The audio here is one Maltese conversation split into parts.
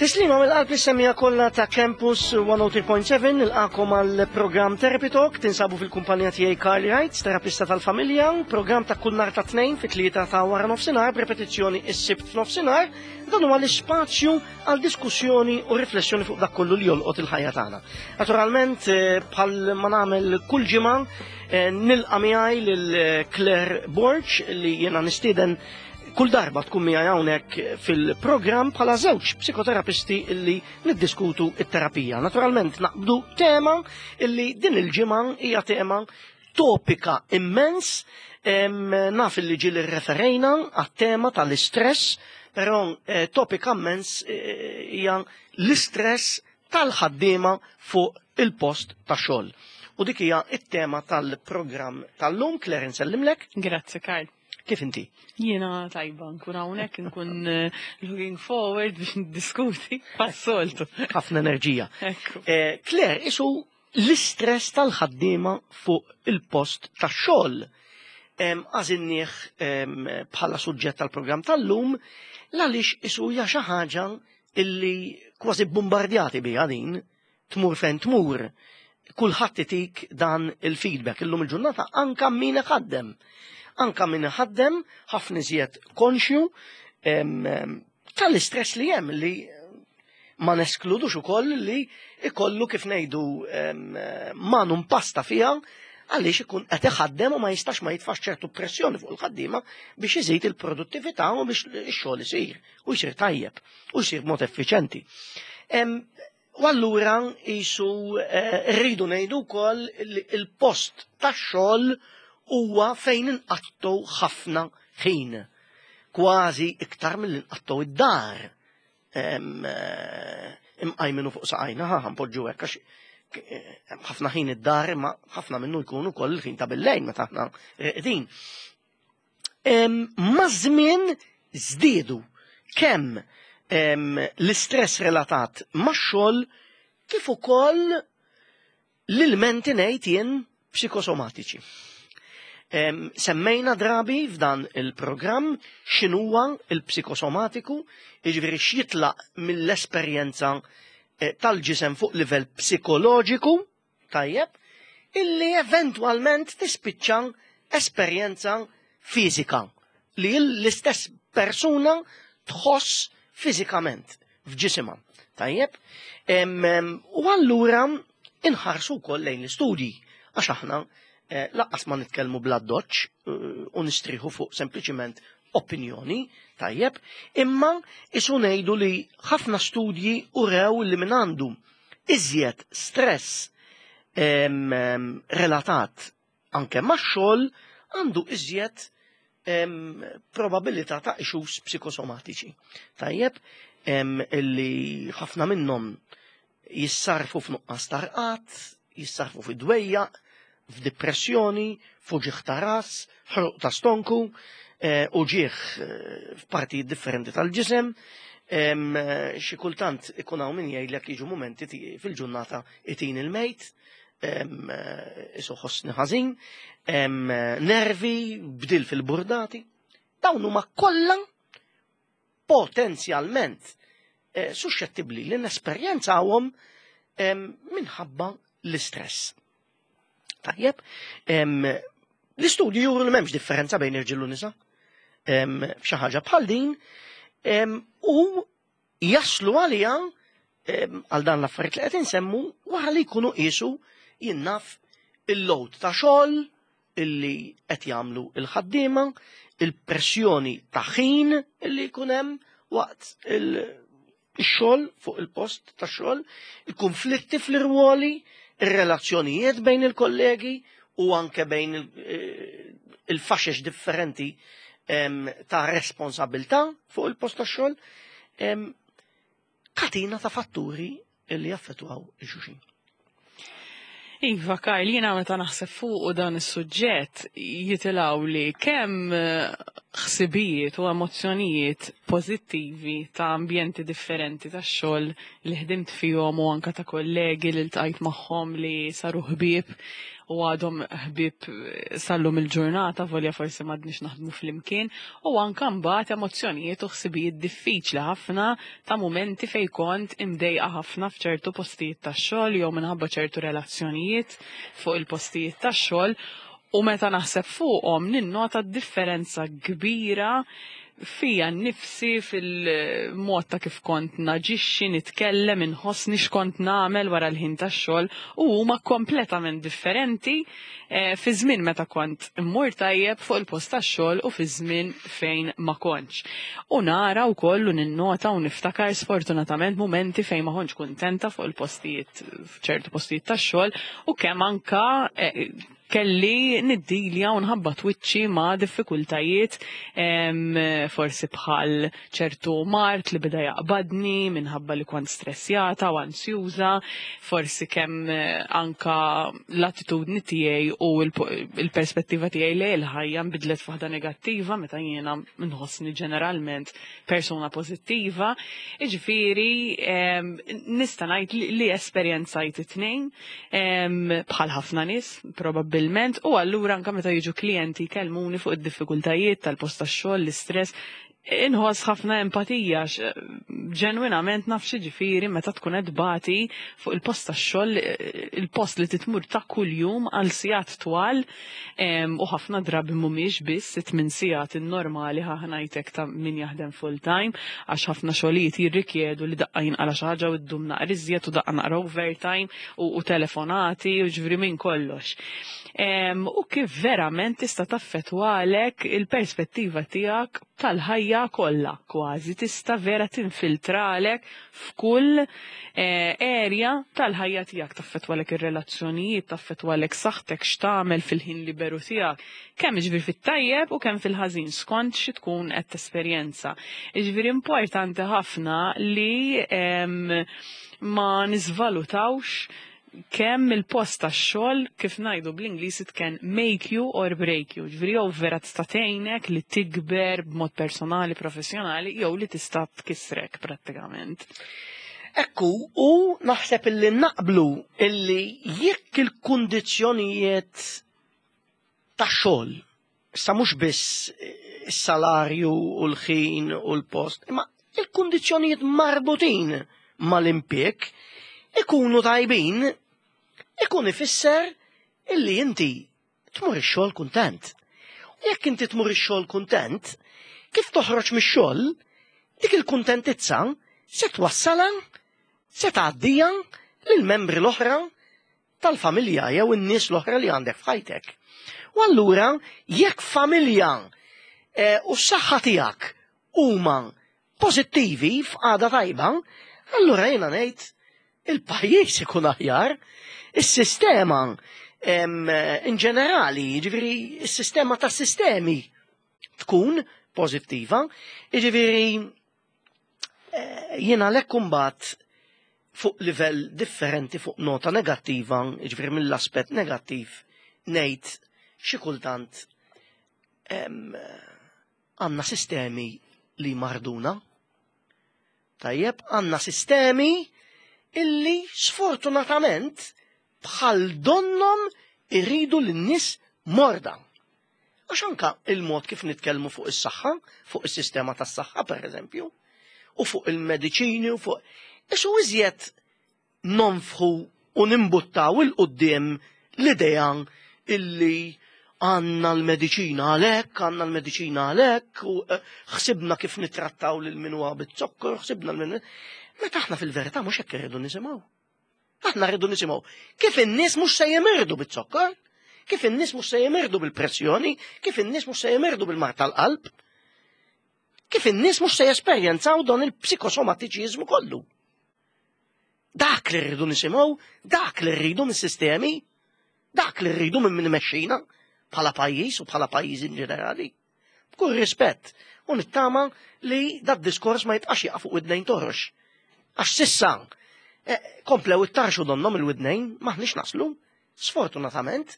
Tislima mill-qalb lis-semmiegħa kollha ta' Campus 103.7 nilqakom għal programm Therapy Talk tinsabu fil-kumpanija tiegħi Carly Wright, terapista tal-familja, programm ta' kull nhar ta' tnejn fit-tlieta ta' wara nofsinhar b'repetizzjoni is-sibt f'nofsinhar, dan huwa l-ispazju għal diskussjoni u riflessjoni fuq dak kollu li jolqot il-ħajja tagħna. Naturalment eh, bħal ma nagħmel kull ġimgħa eh, nilqa' miegħi lil eh, Claire Borg li jiena nistieden kull darba tkun miegħi hawnhekk fil-programm bħala żewġ psikoterapisti illi niddiskutu it-terapija. Naturalment naqbdu tema illi din il-ġimgħa hija tema topika immens, naf illi ġieli rreferejna għat-tema tal-istress, però eh, topika immens eh, hija l-istress tal-ħaddiema fuq il-post ta' xogħol. U dik hija it-tema tal-programm tal-lum, Claire nsellimlek. Grazzi, Karl. Kif inti? Jiena tajba, nkun hawnhekk, nkun eh, looking forward biex niddiskuti pas-soltu. Ħafna enerġija. Eh, Claire, isu l-istress tal-ħaddiema fuq il-post tax-xogħol. Għażilnieh bħala suġġett tal-programm tal-lum l-għaliex isu hija xi ħaġa illi kważi bombardjati biha din tmur fejn tmur, kulħadd itik dan il-feedback illum il-ġurnata anka min iħaddem. Anka min iħaddem ħafna iżjed konxju tal-istress li hemm li ma neskludux ukoll li ikollu kif ngħidu manu mpasta fiha għaliex ikun qed iħaddem u ma jistax ma jitfax ċertu pressjoni fuq il-ħaddiema biex iżid il-produttività u biex ix-xogħol isir u jsir tajjeb u jsir b'mod effiċenti. U allura jisu eh, rridu ngħidu wkoll li il-post tax-xogħol huwa fejn inqattu ħafna ħin. Kważi iktar mill inqattu id-dar. Eh, imqajminu fuq saqajna, ħa npoġġu hekk għax eh, ħafna ħin id-dar imma ħafna minnu jkun ukoll il-ħin ta' billejn meta aħna reqdin. Maż-żmien żdiedu kemm l-istress relatat max-xogħol kif ukoll l-ilmenti ngħid jien psikosomatiċi. Semmejna drabi f'dan il-programm x'inhuwa il-psikosomatiku, jiġifieri x'jitlaq mill-esperjenza eh, tal-ġisem fuq livell psikoloġiku, tajjeb, illi eventwalment tispiċċa esperjenza fiżika li l-istess persuna tħoss fiżikament f'ġisimha. Tajjeb? U allura inħarsu wkoll lejn l-istudji għax aħna eh, laqqas ma nitkellmu bla doċ eh, u nistriħu fuq sempliċiment opinjoni, tajjeb, imma isu ngħidu li ħafna studji urew li min għandu iżjed stress relatat anke max-xogħol għandu iżjed probabilità ta' issues psikosomatiċi. Tajjeb, illi ħafna minnhom jissarfu f'nuqqas ta' rqad, jissarfu fi dwejjaq, f'dipressjoni, f'uġigħ ta' ras, ħruq ta' stonku, eh, uġigħ eh, f'partijiet differenti tal-ġisem, eh, xi kultant ikun hawn min jgħidlek jiġu mumenti fil-ġurnata itin il-mejt, isu ħossni ħażin, nervi, bdil fil-burdati. Dawn huma kollha potenzjalment eh, suxxettibbli li nesperjenzawhom minħabba l-istress. Tajjeb, l-istudju juru li m'hemmx differenza bejn irġiel u nisa f'xi ħaġa bħal din u jaslu għalija għal dan l-affarijiet li qed insemmu wara li jkunu qisu jinnaf il-load ta' xogħol illi qed jagħmlu l-ħaddiema, il-pressjoni ta' ħin illi jkun hemm waqt il-xogħol fuq il-post ta' xogħol, il-konflitti fl-irwoli, ir-relazzjonijiet bejn il-kollegi u anke bejn eh, il-faxex differenti ta' responsabilità fuq il-post ta' xogħol, katina ta' fatturi illi jaffettwaw il-xuxin. Iva, Karl, jiena meta naħseb fuq dan is-suġġett jitilgħu li kemm eh, ħsibijiet u emozzjonijiet pożittivi ta' ambjenti differenti ta' xogħol li ħdimt fihom u anka ta' kollegi li ltqajt magħhom li saru ħbieb u għadhom ħbieb sallum il-ġurnata volja forsi m'għadniex naħdmu flimkien u anka mbagħad emozzjonijiet u ħsibijiet diffiċli ħafna ta' mumenti fejn kont imdejqa ħafna f'ċertu postijiet tax-xogħol jew minħabba ċertu relazzjonijiet fuq il-postijiet tax-xogħol u meta naħseb fuqhom ninnota differenza kbira fija nnifsi fil-mod ta' kif kont naġixxi, nitkellem, inħossni x'kont nagħmel wara l-ħin tax-xogħol u huma kompletament differenti eh, fi żmien meta kont immur tajjeb fuq il-post tax-xogħol u fi żmien fejn ma kontx. U nara wkoll u ninnota u niftakar sfortunatament mumenti fejn ma kontx kuntenta fuq il-postijiet f'ċertu postijiet tax-xogħol u kemm anka eh, kelli niddilja u nħabbat wiċċi ma' diffikultajiet forsi bħal ċertu mart li beda jaqbadni minħabba li kont stressjata u ansjuża, forsi kemm eh, anka l-attitudni tiegħi u l-perspettiva tiegħi li l-ħajja nbidlet f'waħda negattiva meta jiena nħossni ġeneralment persuna pożittiva. Jiġifieri nista' ngħid li esperjenzajt it-tnejn bħal ħafna nies probabbilment u allura anke meta jiġu klijenti jkellmuni fuq id-diffikultajiet tal-post tax-xogħol, l-istress, inħoss ħafna empatija ġenwinament naf x'jiġifieri meta tkun qed tbati fuq il-post tax-xogħol, il-post li titmur ta' kuljum għal sigħat twal u ħafna drabi mhumiex biss it-tmien sigħat in-normali ħa ngħidlek ta' min jaħdem full time għax ħafna xogħlijiet jirrikjedu li daqqa jinqala xi ħaġa u ddum naqra iżjed u daqqa naqra overtime u telefonati u ġifieri minn kollox. U kif verament tista' taffettwalek il-perspettiva tiegħek tal-ħajja kollha kważi tista' vera tinfiltralek f'kull eh, area tal-ħajja tiegħek, taffettwalek ir-relazzjonijiet, taffettwalek saħħtek x'tagħmel fil-ħin liberu tiegħek, kemm jiġifieri fit-tajjeb u kemm fil-ħażin skont xi tkun qed tesperjenza. Jiġifieri importanti ħafna li ma niżvalutawx kemm il-post tax-xogħol kif ngħidu bl-Ingliż it can make you or break you. Ġifieri jew vera tista' tgħinek li tikber b'mod personali, professjonali, jew li tista' tkissrek prattikament. Ekku, u naħseb illi naqblu illi jekk il-kundizzjonijiet tax-xogħol, issa mhux biss is-salarju u l-ħin u l-post, imma il-kundizzjonijiet marbutin mal-impjieg ikunu tajbin, ikun ifisser illi inti tmur ix-xogħol kuntent. U jekk inti tmur ix-xogħol kuntent, kif toħroġ mix-xogħol, dik il-kuntentizza se twassalha, se tgħaddija lill-membri l-oħra tal-familja jew in-nies l-oħra li għandek f'ħajtek. U allura jekk familja eh, u s-saħħa tiegħek huma pożittivi f'qagħda tajba, allura jiena ngħid il-pajjiż ikun aħjar, is-sistema in ġenerali, jiġifieri s-sistema tas sistemi tkun pożittiva, jiġifieri eh, jiena lek kumbat fuq livell differenti fuq nota negattiva, jiġifieri mill-aspett negattiv ngħid xi kultant għandna sistemi li marduna. Tajjeb, għandna sistemi illi sfortunatament bħal donnom irridu lin-nies morda. Għax anka il-mod kif nitkellmu fuq is-saħħa, fuq is-sistema tas-saħħa pereżempju, u fuq il-mediċini u fuq. Isu iżjed nonfħu u nimbuttaw il-qudiem l-idea illi għanna l-mediċina għalek, għanna l-mediċina għalek, u eh, ħsibna kif nitrattaw lil min huwa bit-zokkor, ħsibna l-min. Meta aħna fil-verità mhux hekk irridu nisimgħu. Aħna rridu nisimgħu kif in-nies mhux se jimirdu biz-zokkor, kif in-nies mhux se jimirdu bil-pressjoni, kif in-nies mhux se jimirdu bil-mar tal-qalb, kif in-nies mhux se jesperjenzaw dan il-psikosomatiċiżmu kollu. Dak li rridu nisimgħu, dak li rridu mis-sistemi, dak li rridu minn min imexxina bħala pajjiż u bħala pajjiż in ġenerali. B'kull rispett, u nittama li dad diskors ma jibqax jaqa' fuq widnejn torox. Għax sissa eh, komplew it-tarxu donnom il-widnejn maħniex naslu, sfortunatament.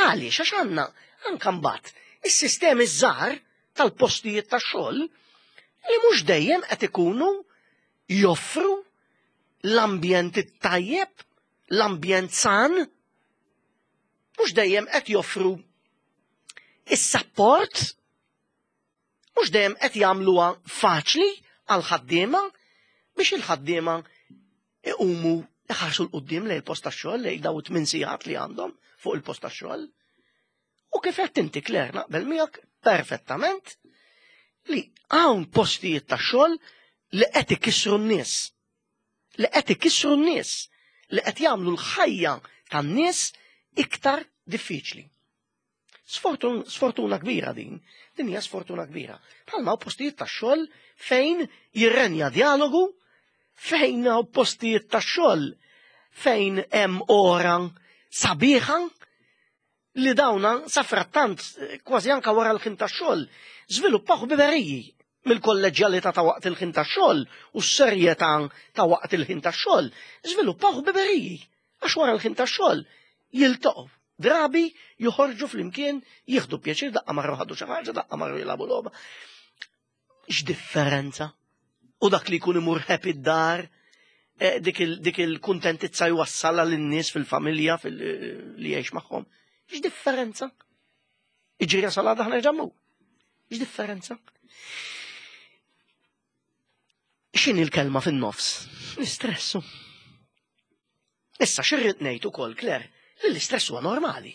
Għaliex għax għandna anka mbagħad is-sistemi żgħar. tal-postijiet tax-xogħol li mhux dejjem qed ikunu joffru l-ambjent it-tajjeb, l-ambjent san, mhux dejjem qed joffru is-sapport, mhux dejjem qed jagħmluha faċli għall-ħaddiema biex il-ħaddiema iqumu iħarsu 'l quddiem lejn il-post tax-xogħol, lejn daw it-tmien sigħat li għandhom fuq il-post tax-xogħol. U kif qed inti Claire naqbel miegħek perfettament li hawn postijiet tax-xogħol li qed ikissru n-nies. Li qed ikissru n-nies, li qed jagħmlu l-ħajja tan-nies iktar diffiċli. Sfortun, sfortuna kbira din, din hija sfortuna kbira. Bħalma hawn postijiet tax-xogħol fejn jirrenja dialogu, fejn hawn postijiet tax-xogħol fejn hemm ora sabiħa li dawna safrattant kważi anka wara l-ħin tax-xogħol żviluppaw ħbiberiji mill-kolleġġjalità ta' waqt il-ħin tax-xogħol u s-serjetà ta' waqt il-ħin tax-xogħol żviluppaw ħbiberiji għax wara l-ħin tax-xogħol jiltaqgħu drabi joħorġu flimkien jieħdu pjaċir daqqa marru ħadu xi ħaġa, daqqa marru jilagħbu logħba. X'differenza? U dak li jkun imur happy d-dar, eh, dik il-kuntentizza jwassalha lin-nies fil-familja li jgħix magħhom. X'differenza? Iġri jasal għadha ħna ġammu. X'differenza? X'inhi l-kelma fin-nofs? L-istressu. Issa xirrid ngħid ukoll, Claire, li l-istress huwa normali.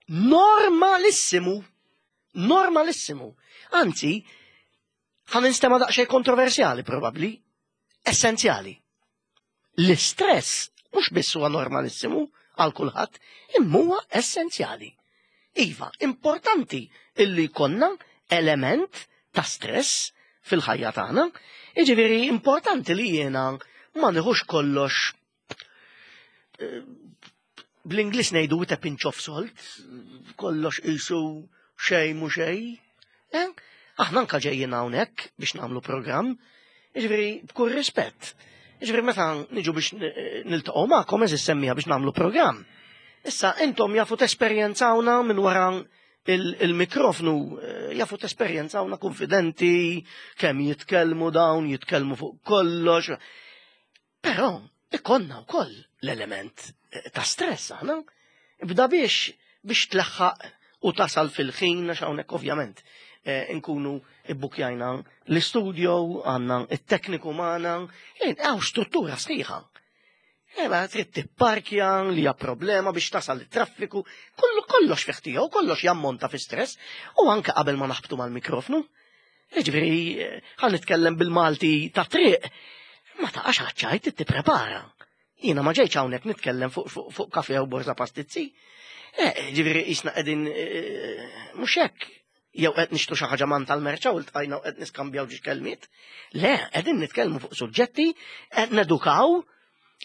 Normalissimu. Normalissimu. Anzi, ħa ninstema' daqsxejn kontroversjali probabbli, essenzjali. L-istress mhux biss huwa normalissimu għal kulħadd, imma huwa essenzjali. Iva, importanti illi jkollna element ta' stress fil-ħajja tagħna, jiġifieri importanti li jiena ma nieħux kollox eh, bl-Ingliż ngħidu with a pinch of salt, kollox qisu xejn mhu xejn. Eh? Aħna anka ġejjin hawnhekk biex nagħmlu programm, jiġifieri b'kull rispett. Jiġifieri meta niġu biex niltaqgħu magħkom eżis semmija biex nagħmlu programm. Issa intom jafu tesperjenzawna minn wara il-mikrofnu eh, jafu tesperjenzawna konfidenti, kemm jitkellmu dawn, jitkellmu fuq kollox. Però ikonna wkoll l-element eh, ta' stress aħna. Ibda biex biex tlaħħaq u tasal fil-ħin għax hawnhekk ovvjament eh, nkunu ibbukjajna l-istudio, għandna it-tekniku magħna, hawn struttura sħiħa. Eba eh, trid tipparkja li hija problema biex tasal it-traffiku, kollu kollox fih tiegħu, kollox jammonta fi stress u anke qabel ma naħbtu mal-mikrofnu. Jiġifieri ħa nitkellem bil-Malti ta' triq, ma taqax għaċ-ċajt tipprepara. Jiena ma ġejtx hawnhekk nitkellem fuq fu, fu kafe u borza pastizzi. Eh, ġifieri qisna qegħdin eh, mhux hekk jew qed nixtru xi ħaġa man tal-merċa u ltqajna u qed niskambjaw ġiex kelmiet. Le, qegħdin nitkellmu fuq suġġetti, qed nedukaw,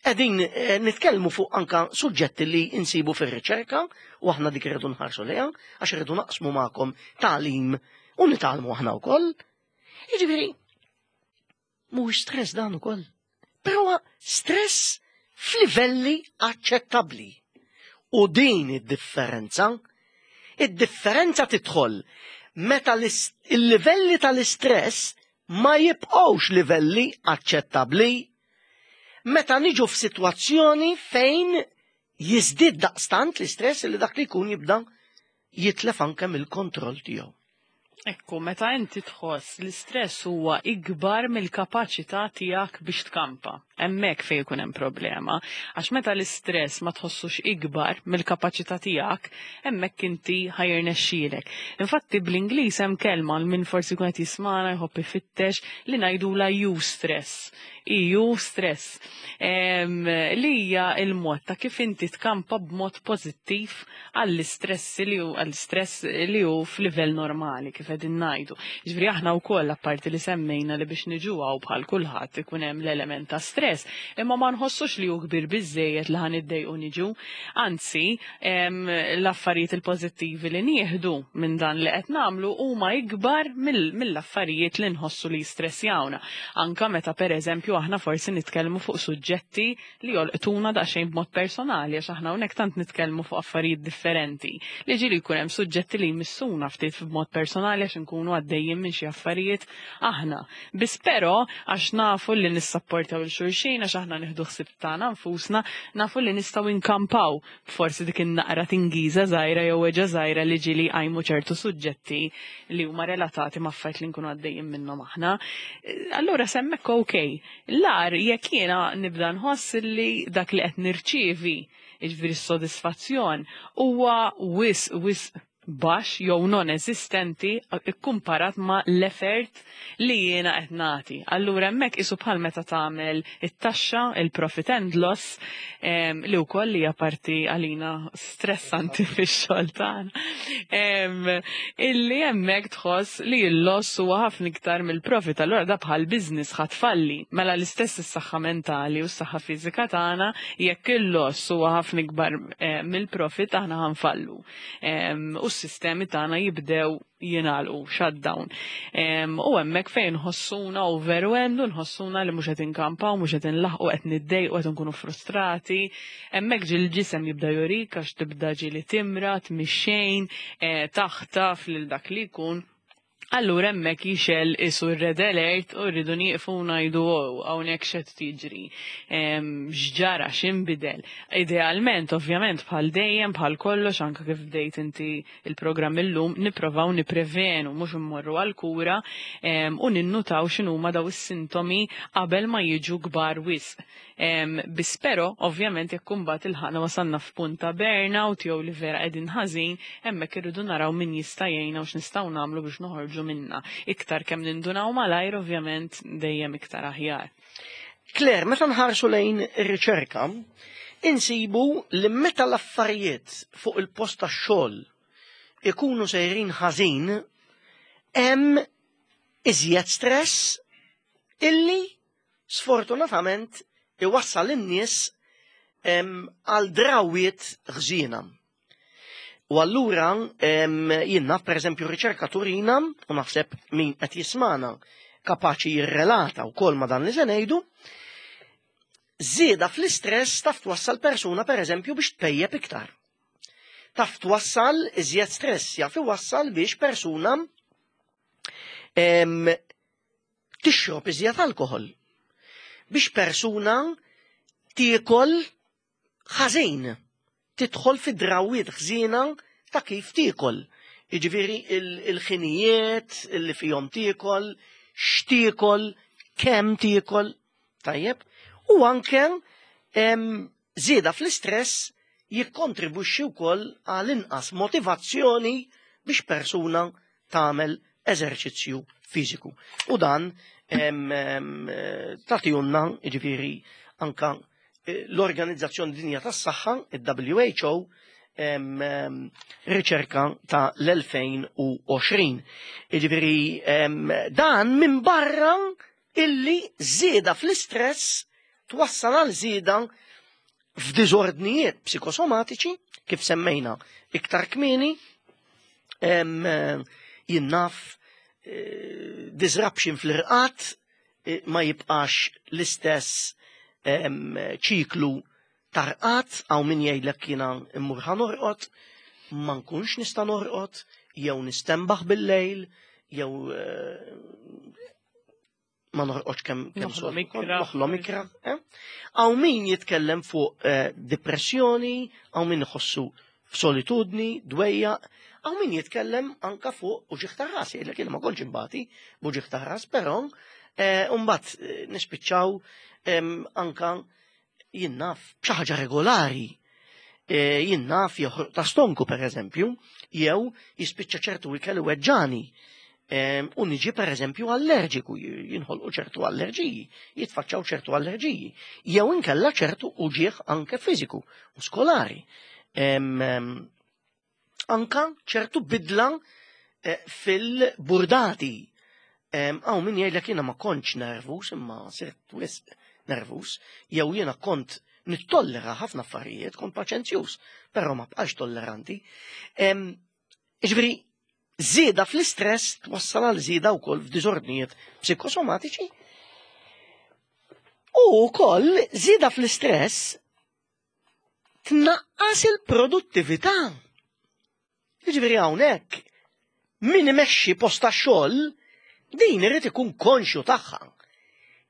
Qegħdin eh, nitkellmu fuq anka suġġetti li insibu fir-riċerka u aħna dik irridu nħarsu lejha għax irridu naqsmu magħkom tagħlim u nitgħallmu aħna wkoll. Jiġifieri mhuwiex stress dan ukoll. Però stress f'livelli aċċettabbli. U din id-differenza, id-differenza tidħol meta il-livelli tal-istress ma jibqgħux livelli aċċettabbli Meta niġu f'sitwazzjoni fejn jiżdied daqstant l-istress li dak li jkun jibda jitlef anke mill-kontroll tiegħu. Ekku, meta inti tħoss l-istress huwa ikbar mill-kapaċità tiegħek biex tkampa. Hemmhekk fejn ikun hemm problema. Għax meta l-istress ma tħossux ikbar mill-kapaċità tiegħek, hemmhekk inti ħajrnexxielek. Infatti bl-Ingliż hemm kelma għal min forsi jkun qed jismana jħobb ifittex li ngħidulha eustress. EU stress li hija l-mod ta' kif inti tkampa b'mod pożittiv għall-istress li hu għall-istress li hu f'livell normali kif qegħdin ngħidu. Jiġifieri aħna wkoll apparti li semmejna li biex niġu hawn bħal kulħadd ikun hemm l-element ta' stress. stress, imma ma nħossux li hu kbir biżejjed li ħan iddejqu niġu. Anzi, l-affarijiet il-pożittivi li nieħdu minn dan li qed nagħmlu huma ikbar mill-affarijiet li nħossu li jistressjawna. Anka meta pereżempju aħna forsi nitkellmu fuq suġġetti li jolqtuna daqsxejn b'mod personali għax aħna hawnhekk tant nitkellmu fuq affarijiet differenti li ġieli jkun hemm suġġetti li jmissuna ftit b'mod personali għax inkunu għaddejjin minn xi affarijiet aħna. Biss però għax nafu li nissapportaw il xulxin għax aħna nieħdu ħsieb tagħna nfusna, nafu li nistgħu nkampaw forsi dik in-naqra tingiża żgħira jew weġgħa żgħira li ġieli jqajmu ċertu suġġetti li huma relatati ma' affarijiet li nkunu għaddejjin minnhom aħna. Allura s'hemmhekk ok. L-agħar jekk jiena nibda nħoss li dak li qed nirċievi, jiġifieri s-sodisfazzjon, huwa wisq wisq baxx jew non-eżistenti kkumparat ma' l-effort li jiena qed nagħti. Allura hemmhekk qisu bħal meta tagħmel it-taxxa, il-profit and loss, li wkoll hija parti għalina stressanti fix-xogħol tagħna. Illi hemmhekk tħoss li l-loss huwa ħafna iktar mill-profit, allura da bħal business ħa tfalli. Mela l-istess is-saħħa mentali u s-saħħa fiżika tagħna, jekk il-loss huwa ħafna ikbar mill-profit aħna ħa nfallu. U s-sistemi tagħna jibdew jingħalqu, shutdown. U hemmhekk fejn nħossuna overwhelmed u nħossuna li mhux qed inkampaw, mhux qed inlaħqu, qed niddejqu, qed nkunu frustrati. Hemmhekk ġieli l-ġisem jibda jurik għax tibda ġieli timrad, mix-xejn, taħtaf lil dak li jkun. Allura hemmhekk jixgħel isu r-red alert u rridu nieqfu u ngħidu oh, hawnhekk x'qed tiġri. X'ġara, x'inbidel. Idealment, ovvjament, bħal dejjem, bħal kollox, anke kif bdejt inti il-programm illum, nipprovaw nipprevenu, mhux immorru għall-kura u ninnutaw x'inhuma daw is-sintomi qabel ma jiġu kbar wisq. Biss però, ovvjament, jekk imbagħad ilħaqna wasalna f'punt ta' burnout jew li vera qegħdin ħażin, hemmhekk irridu naraw min jista' jgħinna u x'nistgħu nagħmlu biex noħorġu minnha. Iktar kemm nindunaw malajr, ovvjament, dejjem iktar aħjar. Claire, meta nħarsu lejn ir-riċerka, insibu li meta l-affarijiet fuq il-post tax-xogħol ikunu sejrin ħażin, hemm iżjed stress illi sfortunatament iwassal in-nies għal drawwiet ħżiena. U allura jien naf pereżempju riċerka turina u naħseb min qed jismana kapaċi jirrelata wkoll ma' dan li se ngħidu, żieda fl-istress taf twassal persuna pereżempju biex tpejjep iktar. Taf twassal iżjed stress jaf iwassal biex persuna tixrob iżjed alkoħol biex persuna tiekol ħażin, tidħol fi drawwiet ħżiena ta' kif tiekol. Jiġifieri il-ħinijiet li fihom tiekol, x'tiekol, kemm tiekol, tajjeb, u anke żieda fl-istress jikkontribwixxi wkoll għal inqas motivazzjoni biex persuna tagħmel eżerċizzju fiżiku. U dan tagħtihulna jiġifieri anka l-Organizzazzjoni Dinja tas-Saħħa, il-WHO, riċerka ta' l-2020. Jiġifieri dan minn barra illi żieda fl-istress twassal għal żieda f'diżordnijiet psikosomatiċi, kif semmejna iktar kmieni, jien naf disruption fl-irqad, ma jibqax l-istess ċiklu tarqad, għaw min jgħidlek jiena immur ħa norqod, ma nkunx nista' norqod, jew nistenbaħ bil-lejl, jew ma norqodx kemm Noħlom ikra. Noħlom ikra, eh? Hawn min jitkellem fuq depressjoni, hawn min iħossu f'solitudni, dwejja, hawn min jitkellem anka fuq uġigħ ta' ras, jgħidlek jiena ma kontx imbati b'uġigħ ta' ras, però mbagħad nispiċċaw anka jien naf b'xi ħaġa regolari. Jien naf joħroq ta' stonku per eżempju, jew jispiċċa ċertu ikel weġġani. U niġi per eżempju allerġiku, jinħolqu ċertu allerġiji, jitfaċċaw ċertu allerġiji, jew inkella ċertu uġigħ anke fiżiku, muskolari. Anka ċertu bidla fil-burdati. Hawn min jgħidlek jiena ma kontx nervus, imma sirt wisq nervus, jew jiena kont nittollera ħafna affarijiet, kont paċenzjuż, però ma bqax tolleranti. Ġifieri, żieda fl-istress twassal għal żieda wkoll f'diżordnijiet psikosomatiċi. U wkoll żieda fl-istress tnaqqas il-produttività. Jiġifieri hawnhekk min imexxi post tax-xogħol din irid ikun konxju tagħha.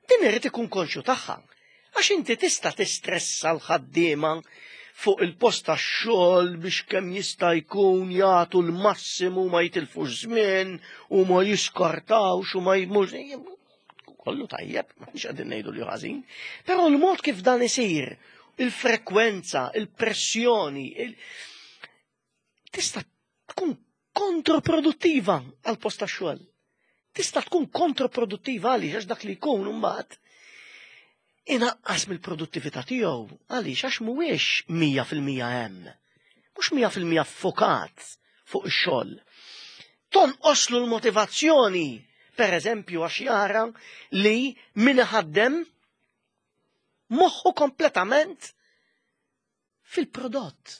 Din irid ikun konxju tagħha. Għax inti tista' tistressa l-ħaddiema fuq il-post tax-xogħol biex kemm jista' jkun jagħtu l-massimu ma jitilfux żmien u ma jiskartawx u ma jmux kollu tajjeb, ma nix qegħdin ngħidu li ħażin, però l-mod kif dan isir, il-frekwenza, il-pressjoni, il tista' tkun kontroproduttiva għal post tax-xogħol. Tista' tkun kontroproduttiva għaliex għax dak li jkun imbagħad inaqqas mill-produttività tiegħu għaliex għax mhuwiex 100% hemm. Mhux 100% fokat fuq ix-xogħol. Tonqoslu l-motivazzjoni, per eżempju, għax jara li min iħaddem moħħu kompletament fil-prodott.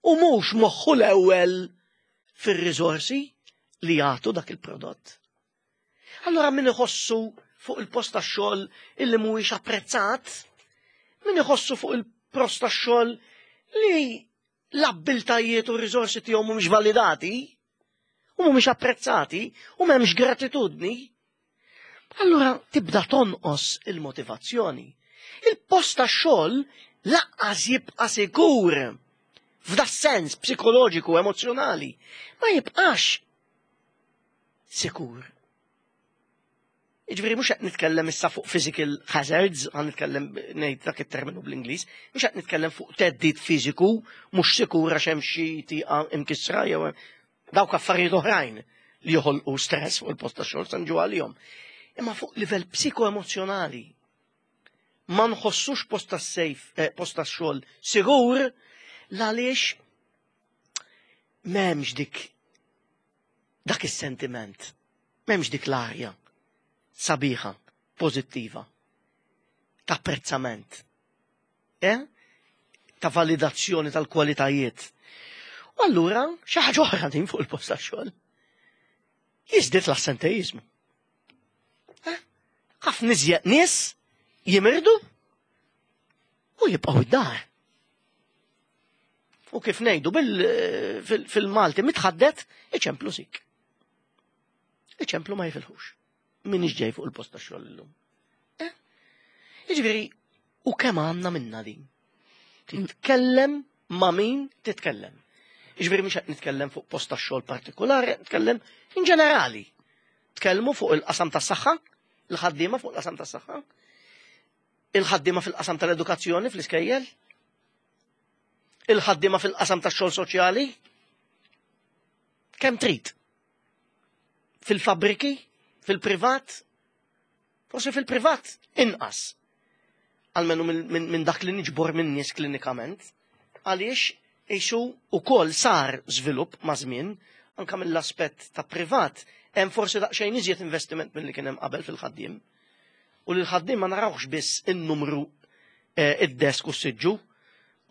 U mhux moħħu l-ewwel fir-riżorsi li jagħtu dak il-prodott. Allura min iħossu fuq il-post tax-xogħol illi mhuwiex apprezzat, min iħossu fuq il-post tax-xogħol li l-abbiltajiet u r-riżorsi tiegħu mhumiex validati u mhumiex apprezzati u m'hemmx gratitudni, allura tibda tonqos il-motivazzjoni. Il-post tax-xogħol laqqas jibqa' sikur f'da sens psikoloġiku emozjonali ma jibqax sikur. Jiġifieri mhux qed nitkellem issa fuq physical hazards, għan nitkellem ngħid dak it-terminu bl-Ingliż, mhux qed nitkellem fuq teddid fiżiku, mhux sikur għax hemm xi tieqa imkissra jew dawk affarijiet oħrajn li joħolqu stress fuq il-post tax-xogħol se nġu għalihom. Imma fuq livell psikoemozjonali ma nħossux post tas-sejf, eh, post tax-xogħol sigur l-għaliex m'hemmx dik dak is-sentiment. M'hemmx dik l-arja sabiħa, pożittiva, ta' apprezzament, eh? ta' validazzjoni tal-kwalitajiet. U allura xi ħaġa oħra din fuq il-post tax-xogħol. Jiżdied l-assenteizmu. Eh? Ħafna iżjed nies jimirdu u jibqgħu id-dar. U kif ngħidu fil-Malti mitħaddet iċemplu sik. Iċemplu ma jifilħux. Min ġej fuq il-post ta' xogħol illum. Eh? Jiġifieri, u kemm għandna minna din? Titkellem ma' min titkellem. Jiġifieri mhux qed nitkellem fuq post ta' xogħol partikolari, nitkellem in ġenerali. Tkellmu fuq il-qasam tas-saħħa, il-ħaddiema fuq il-qasam tas-saħħa, il-ħaddiema fil-qasam tal-edukazzjoni fl-iskejjel, il-ħaddiema fil-qasam tax-xogħol soċjali, kemm trid. Fil-fabriki, fil-privat, forsi fil-privat inqas. Almenu minn dak li niġbor minn nies klinikament, għaliex isu ukoll sar żvilupp ma' żmien, anka mill-aspett ta' privat, hemm forsi daqsxejn iżjed investiment milli kien hemm qabel fil-ħaddiem. U li l-ħaddiem ma narawx biss in-numru eh, id-desk u s-siġġu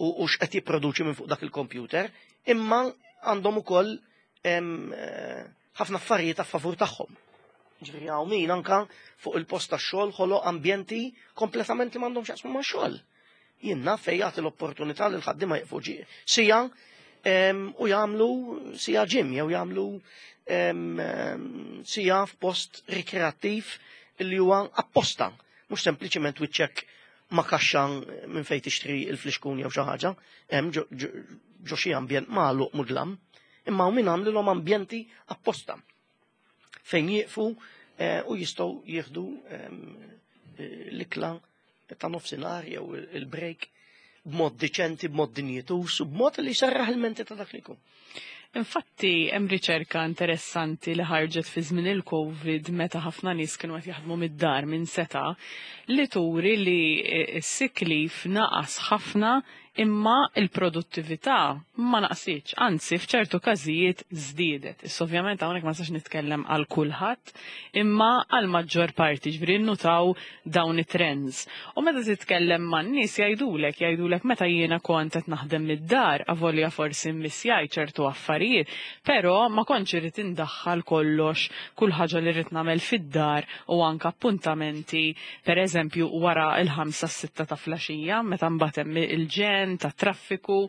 u x'qed jipproduċi minn fuq dak il-kompjuter, imma għandhom ukoll eh, ħafna affarijiet a favur tagħhom. Ġifieri hawn min anka fuq il-post tax-xogħol ħoloq ambjenti kompletament li m'għandhom x'jaqsmu ma' xogħol. Jien naf fejn jagħti l-opportunità li l-ħaddiema jieqfu sija u jagħmlu sija gym jew jagħmlu sija f'post rikreattiv li huwa apposta, mhux sempliċement wiċċek ma' kaxxa minn fejn tixtri il-flixkun jew xi ħaġa, hemm ġo xi ambjent magħluq mudlam, imma hawn min għamlilhom ambjenti apposta fejn jieqfu eh, u jistgħu jieħdu eh, l-ikla ta' nofsinhar jew il-break b'mod diċenti, b'mod dinjitus u b'mod li jserraħ il-menti ta' dak li jkun. Infatti, hemm riċerka interessanti li ħarġet fi żmien il-Covid meta ħafna nies kienu qed jaħdmu mid-dar minn seta' li turi li s-sick leave naqas ħafna. Imma il-produttività ma naqsitx, anzi f'ċertu każijiet żdiedet. Issa ovvjament hawnhekk ma nistax nitkellem għal kulħadd, imma għal maġġor parti ġifieri nnutaw dawn it-trends. U meta titkellem man-nies jgħidulek, jgħidulek meta jiena kont qed naħdem mid-dar, avolja forsi mmissjajt ċertu affarijiet, però ma kontx irrid indaħħal kollox, kull ħaġa li rrid nagħmel fid-dar u anke appuntamenti, pereżempju wara l-ħamsa s-sitta ta' flaxija, meta mbagħad hemm il-ġenn tat-traffiku,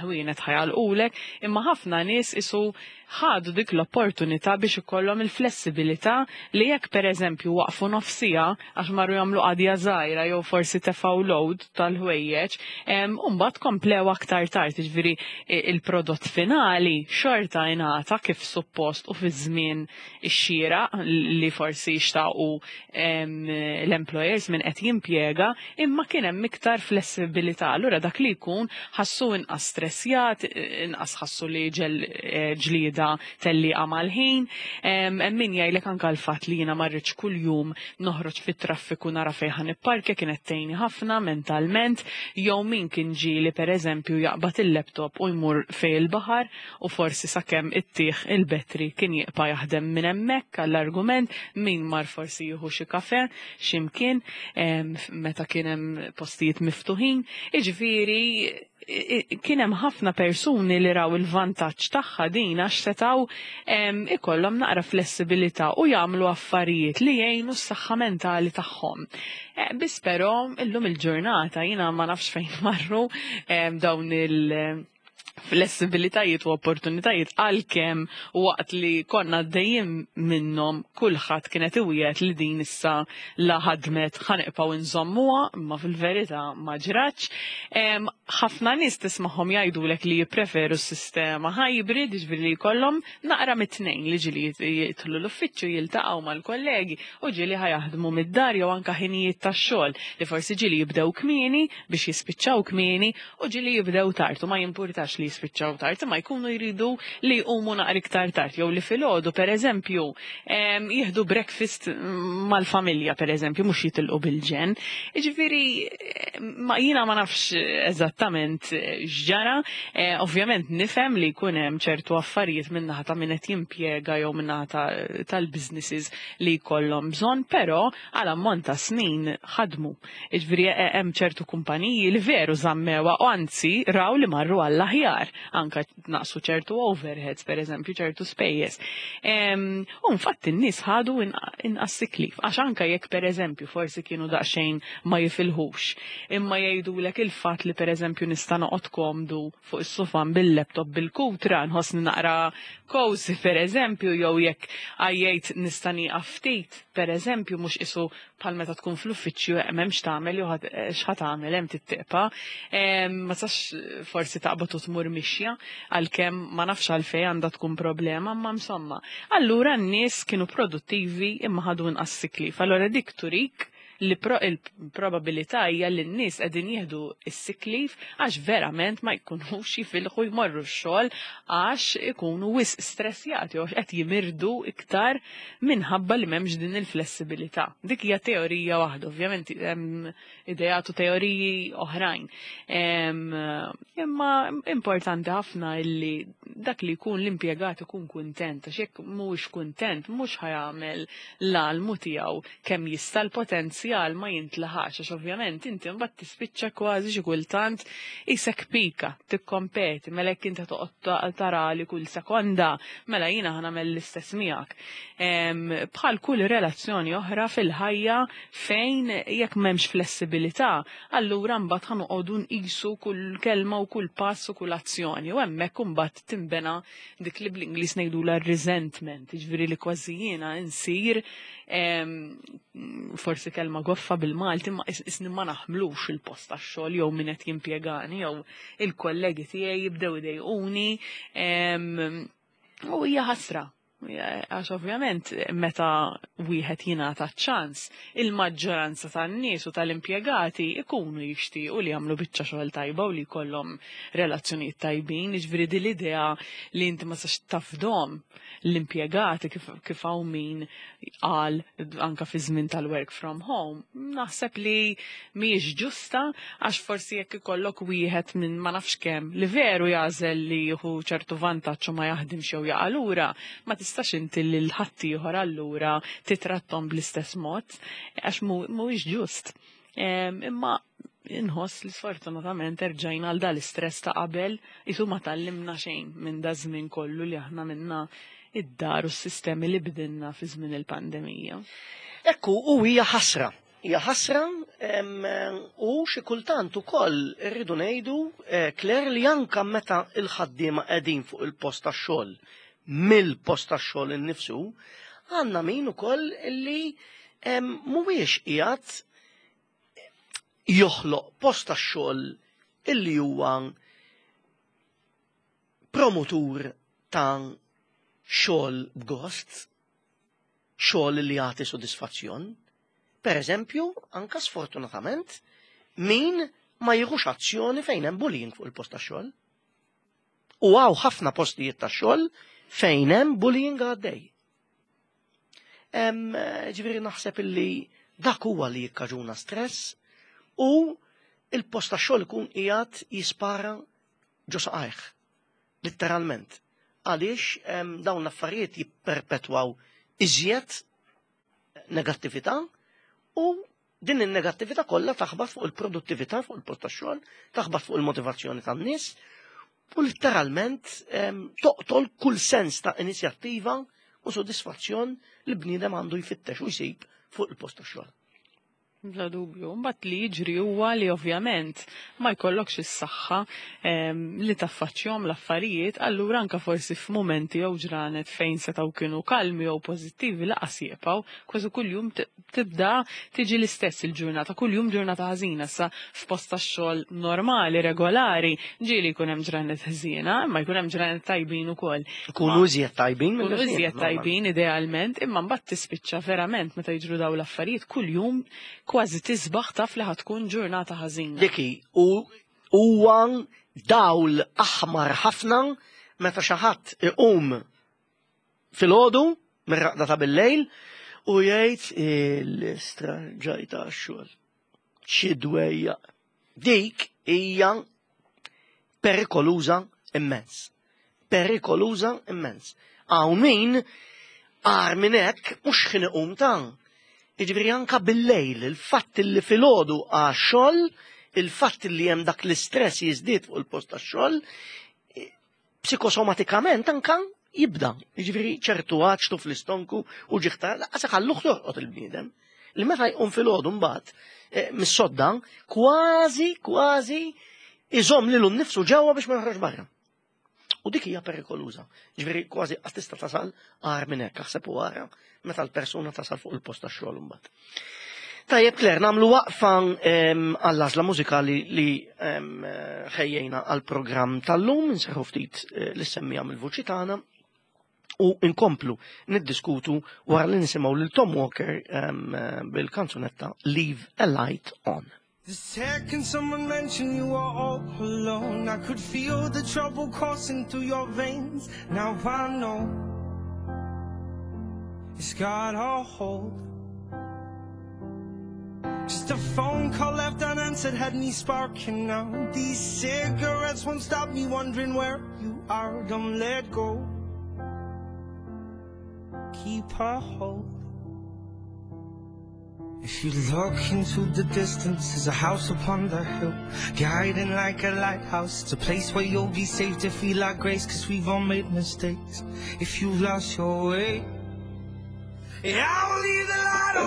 ħwienet ħajalqulek, imma ħafna nies isu ħadu dik l-opportunità biex ikollhom il-flessibilità li jekk pereżempju waqfu nofsija għax marru jagħmlu qadja żgħira jew forsi tefgħu load tal-ħwejjeġ, u mbagħad komplew aktar tard, jiġifieri il-prodott finali xorta ingħata kif suppost u fi żmien ix-xieraq li forsi xtaqu l-employers min qed jimpjega, imma kien hemm iktar flessibilità. Allura dak li jkun ħassu inqas stressjat, inqas ħassu li ġel eh, ġlieda tellieqa mal-ħin. Hemm min jgħidlek anke l-fatt li jiena ma rridx kuljum noħroġ fit-traffiku nara fejn ħa nipparkja kienet tgħinni ħafna mentalment, jew min kien ġieli pereżempju jaqbad il-laptop u jmur fejn il-baħar u forsi sakemm ittih il-battery kien jibqa' jaħdem minn hemmhekk għall-argument, min mar forsi jieħu xi kafè xi mkien meta kien hemm postijiet miftuħin. Jiġifieri kien hemm ħafna persuni li raw il-vantaġġ tagħha din għax setgħu ikollhom naqra flessibilità u jagħmlu affarijiet li jgħinu s-saħħa mentali tagħhom. Eh, biss però illum il-ġurnata jiena ma nafx fejn marru dawn il- flessibilitajiet u opportunitajiet għalkemm waqt li konna għaddejjin minnhom kulħadd kienet iwiegħed li din issa la ħadmet ħanibqgħu nżommuha, imma fil-verità ma ġratx. Ħafna nies tismagħhom jgħidulek li jippreferu s-sistema hybrid, jiġifieri li jkollhom naqra mit-tnejn li ġieli jidħlu l-uffiċċju jiltaqgħu mal-kollegi u ġieli ħa jaħdmu mid-dar jew anke ħinijiet tax-xogħol li forsi ġieli jibdew kmieni biex jispiċċaw kmieni u ġieli jibdew tard u ma jimpurtax li jispiċċaw tard imma jkunu jridu li jqumu naqra iktar tard jew li filgħodu pereżempju jieħdu breakfast mal-familja pereżempju mhux jitilqu bil-ġenn. Jiġifieri ma jiena ma nafx eżattament x'ġara, eh, ovvjament nifhem li jkun hemm ċertu affarijiet min-naħa ta' min qed jimpjega jew min-naħa tal-businesses li jkollhom bżonn, però għal ammont ta' snin ħadmu. Jiġifieri hemm ċertu kumpaniji li veru żammewha u anzi raw li marru għall-aħjar, anke naqsu ċertu overheads pereżempju, ċertu spejjeż. U infatti n-nies ħadu inqas sick leave għax anke jekk pereżempju forsi kienu daqsxejn ma jifilħux, imma jgħidulek il-fatt li pereżempju nista' noqgħod komdu fuq is-sufan bil-laptop bil-kutra nħossni naqra cozy pereżempju jew jekk għajjejt nista' nieqaf ftit pereżempju mhux qisu bħal meta tkun fl-uffiċċju eh, m'hemmx tagħmel jew eh, x'ħa tagħmel hemm tittiqpa. Ma sax forsi taqbad u tmur mixja għalkemm ma nafx għalfejn għandha tkun problema, imma insomma. Allura n-nies kienu produttivi imma ħadu inqas sick leave. Allura dik turik li il-probabilità hija li n-nies qegħdin jieħdu s-sick leave għax verament ma jkunux jifilħu jmorru x-xogħol għax ikunu wisq stressjati u għax qed jimirdu iktar minħabba li m'hemmx din il-flessibilità. Dik hija teorija waħda, ovvjament hemm ideat u teoriji oħrajn. Imma importanti ħafna illi dak li jkun l-impjegat ikun kuntent, għax jekk mhuwiex kuntent mhux ħajamel l-almu tiegħu kemm jista' l-potenzjal ma jintlaħaqx għax ovvjament inti mbagħad tispiċċa kważi xi kultant isek pika tikkompeti mela jekk inti toqgħod tara li kull sekonda mela jiena ħa nagħmel l-istess miegħek. Bħal kull relazzjoni oħra fil-ħajja fejn jekk m'hemmx flessibilità, allura mbagħad ħa noqogħdu nqisu kull kelma u kull pass u kull azzjoni u hemmhekk imbagħad tinbena dik li bl-Ingliż ngħidulha resentment, jiġifieri li kważi jiena insir forsi kelma goffa bil-Malti ma isni ma naħmlux il-post tax-xogħol jew min qed jimpjegani jew il-kollegi tiegħi jibdew idejquni u hija ħasra. Għax ovvjament meta wieħed jingħata ċ-ċans, il-maġġoranza tan-nies u tal-impjegati ikunu jixtiequ li jagħmlu biċċa xogħol tajba u li jkollhom relazzjonijiet tajbin, jiġifieri din l-idea li inti ma tistax tafdhom l-impjegati kif hawn min qal anka fi żmien tal-work from home, naħseb li mhijiex ġusta għax forsi jekk ikollok wieħed minn ma nafx kemm li veru jagħżel li jieħu ċertu vantaġġ u ma jaħdimx jew jaqa' lura, ma tistax inti lil ħaddieħor allura titrattom bl-istess mod għax mhuwiex ġust. Imma inħoss li sfortunatament erġajna għal dal-istress ta' qabel, isu ma tgħallimna xejn minn da żmien kollu li aħna minna id-dar u s-sistemi li bdilna fi żmien il-pandemija. Ekku, u hija ħasra. Hija ħasra u xi kultant ukoll irridu ngħidu, eh, Claire, li anka meta il-ħaddiema qegħdin fuq il-post tax-xogħol, mill-post tax-xogħol innifsu, għandna min ukoll li mhuwiex qiegħed joħloq post tax-xogħol illi huwa promotur ta' xogħol b'gost, xogħol li jagħti sodisfazzjon. Per eżempju, anka sfortunatament, min ma jieħux azzjoni fejn hemm bullying fuq il-post tax-xogħol. U hawn ħafna postijiet tax-xogħol fejn hemm bullying għaddej. Ġifieri naħseb illi dak huwa li jikkaġuna stress u il-post tax-xogħol ikun qiegħed jispara ġo saqajh, litteralment. Għaliex dawn l-affarijiet jipperpetwaw iżjed negattività u din in-negattività kollha taħbat fuq il-produttività fuq il-post tax-xogħol, taħbat fuq il-motivazzjoni tan-nies u litteralment toqtol kull sens ta' inizjattiva u sodisfazzjon li bniedem għandu jfittex u jsib fuq il-post tax-xogħol. Bla dubju. Mbagħad li jiġri huwa li ovvjament ma jkollokx is-saħħa li taffaċċjahom l-affarijiet, allura anka forsi f'mumenti jew ġranet fejn setgħu kienu kalmi jew pożittivi laqas jibqgħu, kważi kuljum tibda tiġi l-istess il-ġurnata, kuljum ġurnata ħażina sa f'post tax-xogħol normali, regolari, ġieli jkun hemm ġranet ħżiena, imma jkun hemm ġranet tajbin ukoll. Ikunu iżjed tajbin. Ikunu iżjed tajbin idealment, imma mbagħad tispiċċa verament meta jiġru dawn l-affarijiet kuljum kważi tisbaħ taf li ħatkun ġurnata ħażina. Diki, u huwa dawl aħmar ħafna meta xi ħadd iqum filgħodu mir-raqda ta' bil-lejl u jgħid l-istra ġajta għax-xogħol. Xi dwejja. Dik hija perikoluża immens. Perikoluża immens. Hawn min agħar minn hekk mhux x'ħin iqum ta'. Jiġifieri anka bil-lejl, il-fatt li filgħodu għax-xogħol, il-fatt li hemm dak l-istress jiżdied fuq il-post tax-xogħol, psikosomatikament anka jibda. Jiġifieri ċertu għaċtu fl-istonku u ġiħta, laqas iħalluh jorqod il-bniedem. Li meta jqum filgħodu mbagħad mis-sodda, kważi, kważi iżomm lilu nnifsu ġewwa biex ma joħroġ barra. U dik hija perikoluża. Ġifieri kważi qatt tista' tasal agħar minn hekk, aħseb u ara meta l-persuna tasal fuq il-post tax-xogħol imbagħad. Tajjeb Claire, nagħmlu waqfa għall-għażla mużikali li ħejjejna għall-programm tal-lum, inserħu ftit l-semmija mill-vuċi tagħna u nkomplu niddiskutu wara li nisimgħu lil Tom Walker bil-kanzunetta Leave a Light On. The second someone mentioned you were all alone, I could feel the trouble coursing through your veins. Now I know it's got a hold. Just a phone call left unanswered had me sparking now. These cigarettes won't stop me wondering where you are. Don't let go. Keep a hold. If you look into the distance, there's a house upon the hill, guiding like a lighthouse. It's a place where you'll be safe to feel like grace, because we've all made mistakes. If you've lost your way, yeah, I'll leave the light on.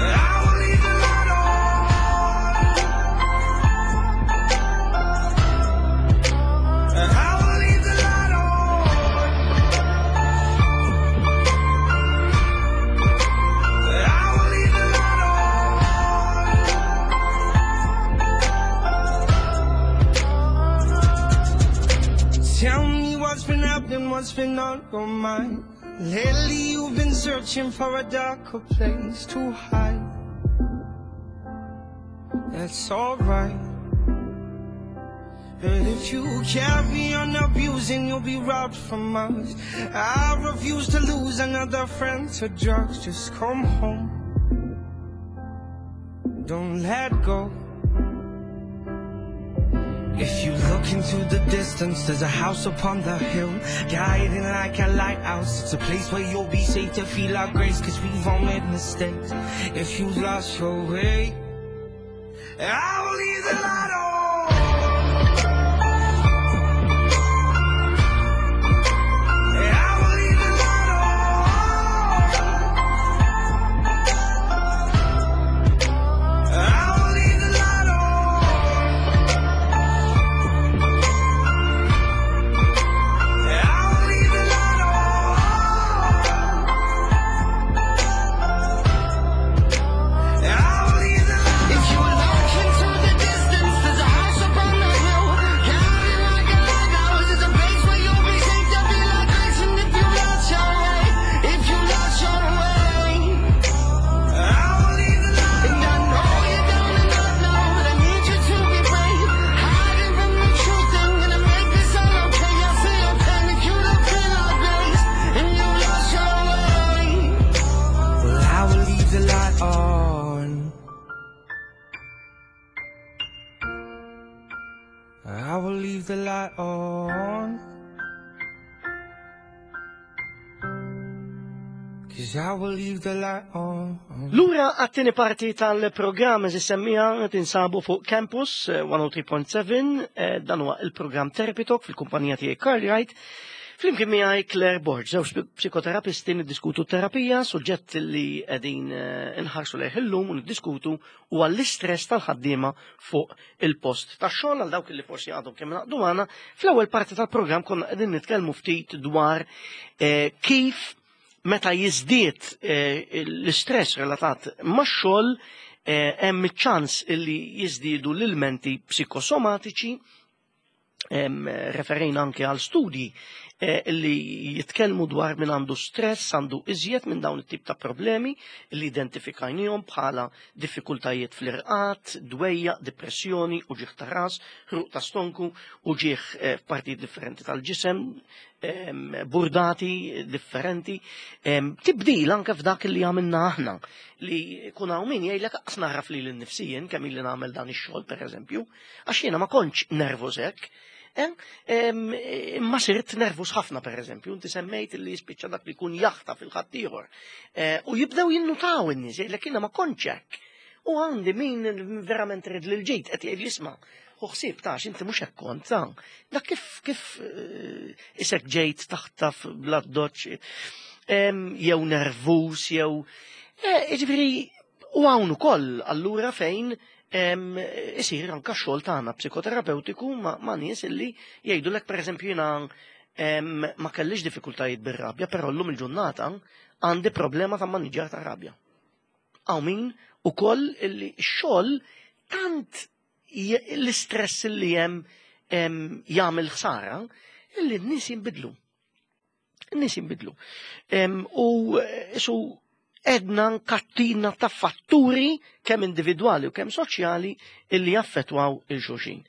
I will leave the light on. I will leave the light on. I will leave the light on. what's been on your mind. Lately you've been searching for a darker place to hide. That's alright. But if you carry on abusing, you'll be robbed from us. I refuse to lose another friend to drugs. Just come home. Don't let go. If you look into the distance, there's a house upon the hill, guiding like a lighthouse. It's a place where you'll be safe to feel our grace, cause we've all made mistakes. If you've lost your way, I will leave the light on. I will leave the light on. I will leave the light on. I will leave the light on. I will leave the light. If you look into the distance, there's a house up on the hill, guiding like a lighthouse. It's a place where you'll be safe to feel like grace. And if you lost your way, if you lost your way, I will leave the light. And I know you're down and out now, but I need you to be brave. Hiding from the truth, I'm gonna make this all okay. I see your pain if you look in our grace, and you lost your way. Well, I will leave the light on. I will leave the light on. Cause I will leave the light on. Lura għat-tieni parti tal-programm eżis semmija tinsabu fuq Campus 103.7, dan huwa il-programm Therapy Talk fil-kumpanija tiegħi Carl Wright. Flimkien miegħi Claire Borg, żewġ psikoterapisti niddiskutu terapija, suġġett li qegħdin inħarsu lejh illum u niddiskutu huwa l-istress tal-ħaddiema fuq il-post tax-xogħol. Għal dawk li forsi għadhom kemm naqdu magħna, fl-ewwel parti tal-programm konna qegħdin nitkellmu ftit dwar kif meta jiżdied l-istress relatat max-xogħol, hemm iċ-ċans illi jiżdiedu l-ilmenti psikosomatiċi. Referejna anke għal studji li jitkellmu dwar min għandu stress għandu iżjed minn dawn it-tip ta' problemi li identifikajnihom bħala diffikultajiet fl-irqad, dwejja, depressjoni, uġigħ ta' ras, ħruq ta' stonku, uġigħ f'partijiet differenti tal-ġisem, burdati differenti, tibdil anke f'dak li għamilna aħna li kun hawn min jgħidlek aqs naraf li l-nifsijien kemm illi nagħmel dan ix-xogħol pereżempju, għax jiena ma kontx nervuż hekk. Imma sirt nervus ħafna pereżempju, inti semmejt li jispiċċa dak li jkun jaħta fil-ħaddieħor. U jibdew jinnutaw in-nies jgħidlek jiena ma kontx hekk. U għandi min verament rid lil ġid qed jgħid isma' u ħsieb tax inti mhux hekk kont ta' dak kif isek ġejt taħtaf bla doċ, jew nervus jew jiġifieri u hawn ukoll allura fejn isir anka x-xogħol tagħna psikoterapeutiku ma' nies illi jgħidulek pereżempju jiena ma kellix diffikultajiet bir-rabja, però llum il-ġurnata għandi problema ta' maniġġar ta' rabja. Hawn min ukoll illi x-xogħol tant l-istress li hemm jagħmel ħsara illi n-nies jinbidlu. N-nies jinbidlu. U su edna kattina ta' fatturi kemm individwali u kemm soċjali illi jaffettwaw il-xulxin.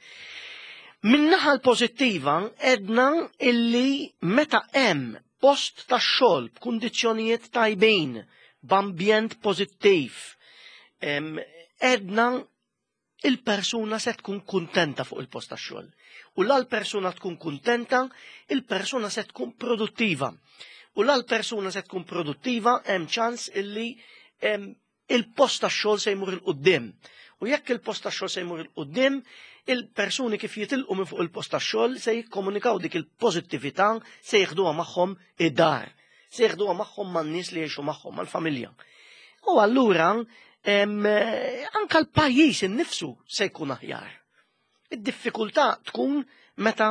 Min-naħa l-pożittiva edna illi meta hemm post ta' xogħol b'kundizzjonijiet tajbin, b'ambjent pożittiv, edna il-persuna se tkun kuntenta fuq il-post ta' xogħol. U la l-persuna tkun kuntenta, il-persuna se tkun produttiva. U la l-persuna se tkun produttiva, hemm ċans illi il-post ta' xogħol se jmur il-qudiem. U jekk il-post ta' xogħol se jmur il-qudiem, il-persuni kif jitilqu minn fuq il-post ta' xogħol se jikkomunikaw dik il-pożittività, se jieħduha magħhom id-dar, se jieħduha magħhom man-nies li jgħixu magħhom, mal-familja. U allura anka l-pajjiż innifsu se jkun aħjar. Id-diffikultà tkun meta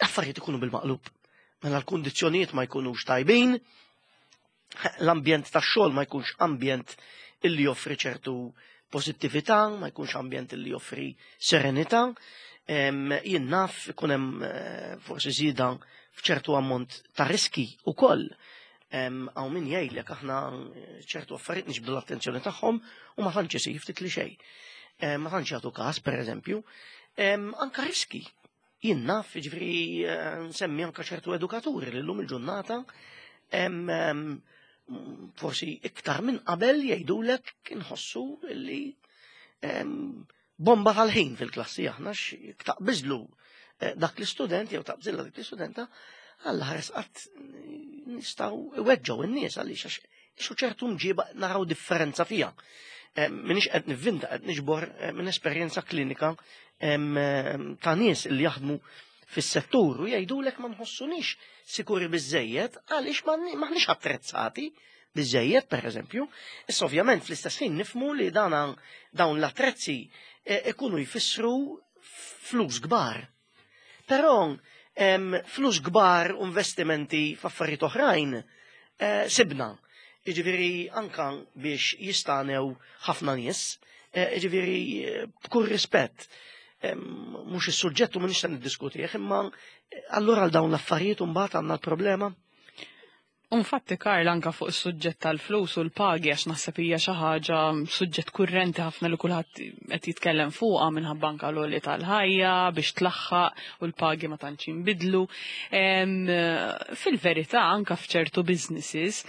affarijiet ikunu bil-maqlub. Mela l-kundizzjonijiet ma jkunux tajbin, l-ambjent tax-xogħol ma jkunx ambjent illi joffri ċertu pożittività, ma jkunx ambjent illi joffri serenità. Jien naf ikun hemm forsi żieda f'ċertu ammont ta' riski ukoll. Hawn min jgħidlek aħna ċertu affarijiet niġbdu l-attenzjoni tagħhom u ma tantx isir ftit li xejn. Ma tantx jagħtu każ, pereżempju. Anka riski. Jien naf, jiġifieri nsemmi anka ċertu edukaturi li llum il-ġurnata forsi iktar minn qabel jgħidulek inħossu li bomba tal-ħin fil-klassi aħna taqbiżlu eh, dak l-istudent jew taqbżilla dik l-istudenta għalla ħares qatt nistgħu iweġġgħu n-nies għaliex għax xu ċertu mġiba naraw differenza fija. Eh, minix qed nivvinta qed niġbor eh, minn esperjenza klinika ta' nies li jaħdmu fis-settur u jgħidulek ma nħossunix sikuri biżejjed għaliex maħniex attrezzati biżejjed pereżempju. Issa ovvjament fl-istess ħin nifmu li dana dawn l-attrezzi e, ikunu jfissru flus kbar. Però flus kbar u investimenti f'affarijiet oħrajn e, sibna. Jiġifieri anka biex jistanew ħafna nies, e, jiġifieri b'kull rispett mhux is-suġġett u m'iniex se niddiskutih, imma allura għal dawn l-affarijiet mbagħad għandna l-problema. U nfatti Karl anka fuq is-suġġett tal-flus u l-pagi għax naħseb hija xi ħaġa suġġett kurrenti ħafna li kulħadd qed jitkellem fuqha minħabba anka l-għoli tal-ħajja biex tlaħħaq u l-pagi ma tantx jinbidlu. Fil-verità anka f'ċertu businesses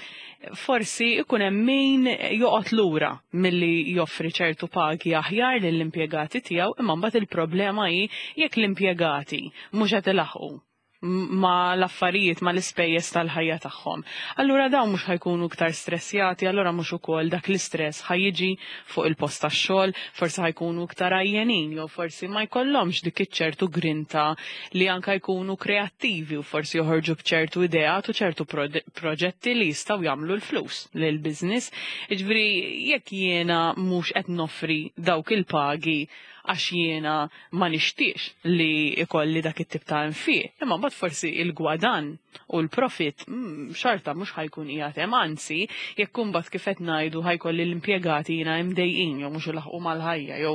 forsi ikun hemm min joqgħod lura milli joffri ċertu pagi aħjar lill-impjegati tiegħu imma mbagħad il-problema hi jekk l-impjegati mhux qed ilaħħqu ma l-affarijiet, ma l-ispejjeż tal-ħajja tagħhom. Allura dawn mhux ħajkunu iktar stressjati, allura mhux ukoll dak l-istress ħajjiġi fuq il-post tax-xogħol, forsi ħajkunu iktar għajjenin jew forsi ma jkollhomx dik iċ-ċertu grinta li anka jkunu kreattivi u forsi joħorġu b'ċertu ideat u ċertu proġetti li jistgħu jagħmlu l-flus lil business. Jiġifieri jekk jiena mhux qed noffri dawk il-pagi għax jiena ma nixtieqx li ikolli dak it-tip ta' infiq. Imma mbagħad forsi il-gwadan u l-profit mm, xorta mhux ħajkun qiegħed hemm, anzi jekk imbagħad kif qed ngħidu ħajkolli l-impjegati jiena imdejqin jew mhux ilaħqu mal-ħajja jew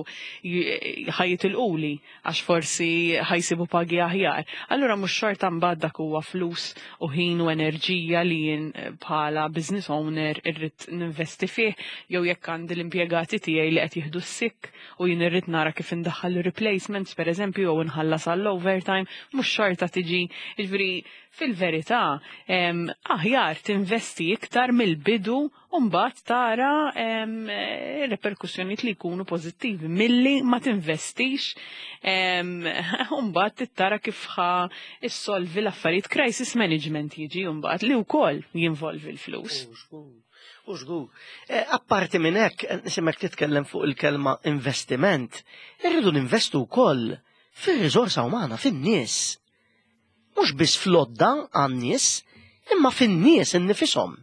ħajitilquli għax forsi ħajsibu pagi aħjar. Allura mhux xorta mbagħad dak huwa flus u ħin u enerġija li jien eh, bħala business owner irrid ninvesti fih jew jekk għandi l-impjegati tiegħi li qed jieħdu s-sikk u jien irrid nara kif indaħħal replacements pereżempju jew inħallas għall-overtime, mhux xorta tiġi. Jiġifieri fil-verità aħjar tinvesti iktar mill-bidu u mbagħad tara reperkussjonijiet li jkunu pożittivi milli ma tinvestix u mbagħad tara kif ħa issolvi l-affarijiet crisis management jiġi mbagħad li wkoll jinvolvi l-flus. U żgur. Eh, apparti minn hekk, eh, nisimek titkellem fuq il-kelma investiment, irridu ninvestu wkoll fir-riżorsa umana, fin-nies. Mhux biss flodda għan-nies, imma fin-nies innifisom.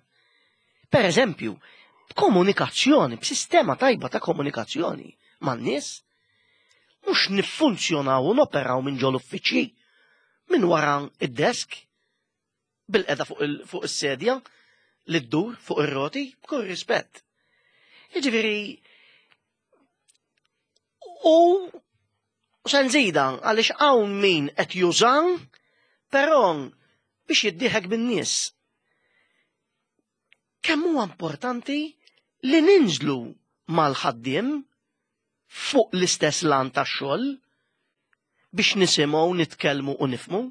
Per eżempju, b'komunikazzjoni, b'sistema tajba ta' komunikazzjoni man-nies, mhux niffunzjonaw u noperaw minn ġol uffiċċji minn wara id-desk bil-qeda fuq is-sedja li ddur fuq ir-roti b'kull rispett. Jiġifieri u se nżida għaliex hawn min qed jużan però biex jiddieħek bin-nies. Kemm huwa importanti li ninżlu mal-ħaddiem fuq l-istess lan tax-xogħol biex nisimgħu, nitkellmu u nifhmu.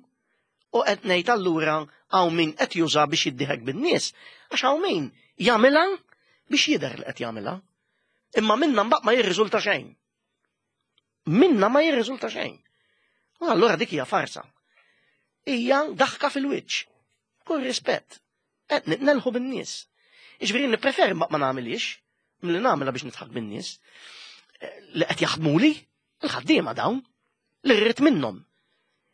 U qed ngħid allura hawn min qed juża biex jiddieħek bin-nies, għax hawn min jagħmilha biex jidher li qed jagħmilha. Imma minna mbagħad ma jirriżulta xejn. Minna ma jirriżulta xejn. U allura dik hija farsa. Hija daħka fil-wiċċ. Kull rispett. Qed nitnelħu bin-nies. Jiġifieri nippreferi ma nagħmilhiex milli nagħmilha biex nidħak bin-nies eh, li qed jaħdmuli il-ħaddiema dawn li rrid minnhom.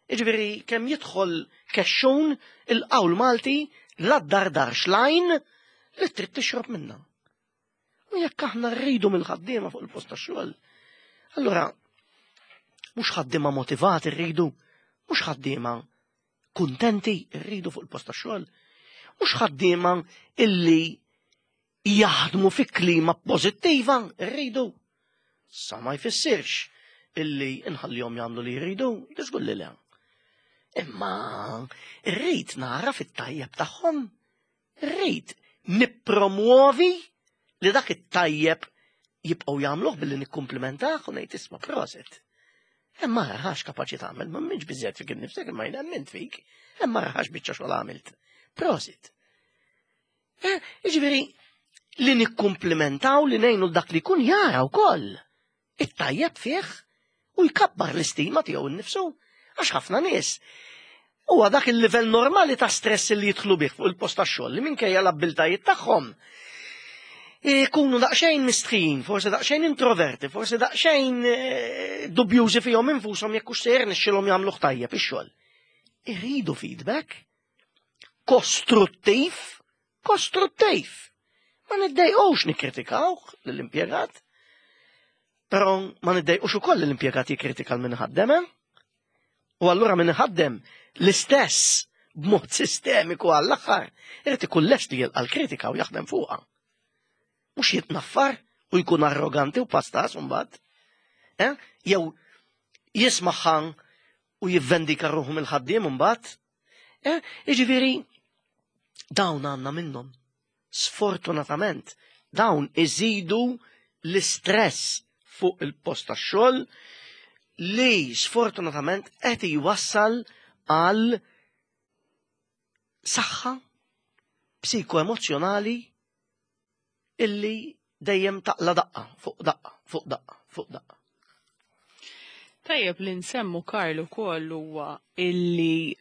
Jiġifieri kemm jidħol kexxun il-qawl Malti la dardarx lajn li trid tixrob minnha. U jekk aħna rridu mill-ħaddiema fuq il-post tax-xogħol, allura mhux ħaddiema motivati rridu, mhux ħaddiema kuntenti rridu fuq il-post tax-xogħol, mhux ħaddiema illi jaħdmu fi klima pożittiva rridu. Sa ma jfissirx illi nħallihom jagħmlu li jridu, żgur li le. Imma rrid nara fit-tajjeb tagħhom. Rrid nippromwovi li dak it-tajjeb jibqgħu jagħmluh billi nikkumplimentah u ngħid isma' proset. Hemm ara ħax kapaċi tagħmel, ma minx biżżejjed fik innifsek imma jien emmint fik. Hemm ara ħax biċċa xogħol għamilt. Prosit. Eh, jiġifieri li nikkumplimentaw li ngħinu dak li jkun jara wkoll. It-tajjeb fih u jkabbar l-istima tiegħu nnifsu għax ħafna nies huwa dak il-livell normali ta' stress li jidħlu bih fuq il-post tax-xogħol li minkejja l-abbiltajiet tagħhom ikunu daqsxejn mistħijin, forsi daqsxejn introverti, forsi daqsxejn eh, dubjużi fihom infushom jekk hux se jirnexxilhom jagħmluh tajjeb ix-xogħol. Iridu feedback kostruttiv, kostruttiv. Ma niddejqux nikkritikawh lill-impjegat, però ma niddejqux ukoll l-impjegat jikkritika l min ħaddem, eh? U allura min ħaddem l-istess b'mod sistemiku għall-aħħar, irid ikun lest li jilqa' l-kritika u jaħdem fuqha. Mhux jitnaffar u jkun arroganti u pastas mbagħad. Eh? Jew jismaħħa u jivvendika ruħu mill-ħaddiem mbagħad. Eh? Jiġifieri dawn għandna minnhom. Sfortunatament, dawn iżidu l-istress fuq il-post tax-xogħol li sfortunatament qed jwassal għal saħħa psikoemozzjonali illi dejjem taqla daqqa fuq daqqa fuq daqqa fuq daqqa. Tajjeb li nsemmu Karl ukoll huwa illi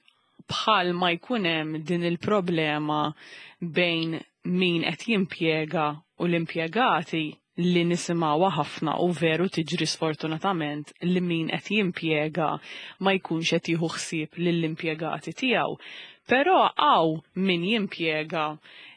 bħal ma jkun hemm din il-problema bejn min qed jimpjega u l-impjegati li nisimgħuha ħafna u veru tiġri sfortunatament li min qed jimpjega ma jkunx qed jieħu ħsieb lill-impjegati tiegħu. Però hawn min jimpjega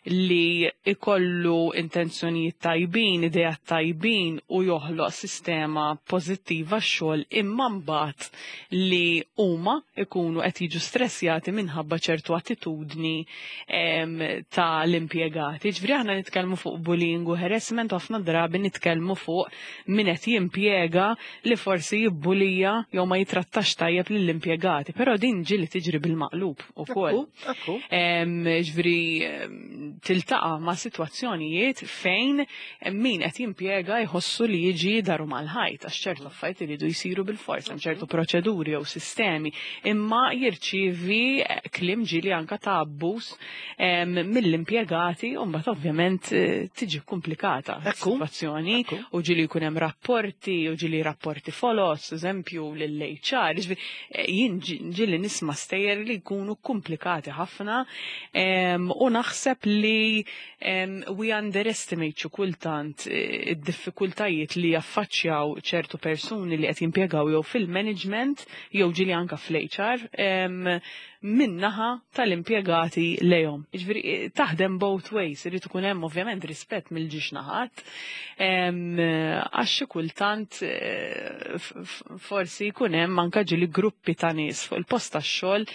li ikollu intenzjonijiet tajbin, ideat tajbin u joħloq sistema pożittiva x-xogħol imma mbagħad li huma ikunu qed jiġu stressjati minħabba ċertu attitudni ta' l-impjegati. Ġifieri aħna nitkellmu fuq bullying u harassment u ħafna drabi nitkellmu fuq min qed jimpjega li forsi jibbulija jew ma jitrattax tajjeb lill-impjegati, però din ġieli tiġri bil-maqlub ukoll. Ġifieri tiltaqa' ma' sitwazzjonijiet fejn min qed jimpjega jħossu li jiġi daru mal-ħajt għax ċertu affarijiet iridu jsiru bil-fors, hemm ċertu proċeduri jew sistemi, imma jirċievi kliem ġieli anka ta' abbuż mill-impjegati u mbagħad ovvjament eh, tiġi komplikata s-sitwazzjoni u ġieli jkun hemm rapporti u ġieli rapporti folos, eżempju lill-HR, eh, jien ġieli nisma' stejjer li jkunu komplikati ħafna u naħseb li we underestimate xi kultant eh, id-diffikultajiet li jaffaċċjaw ċertu persuni li qed jimpjegaw jew fil-management jew ġieli anka fl-HR min-naħa tal-impjegati lejhom. Jiġifieri eh, taħdem both ways, irid ikun hemm ovvjament rispett mill-ġiex naħat, għax xi kultant eh, forsi jkun hemm anke ġieli gruppi ta' nies fuq il-post tax-xogħol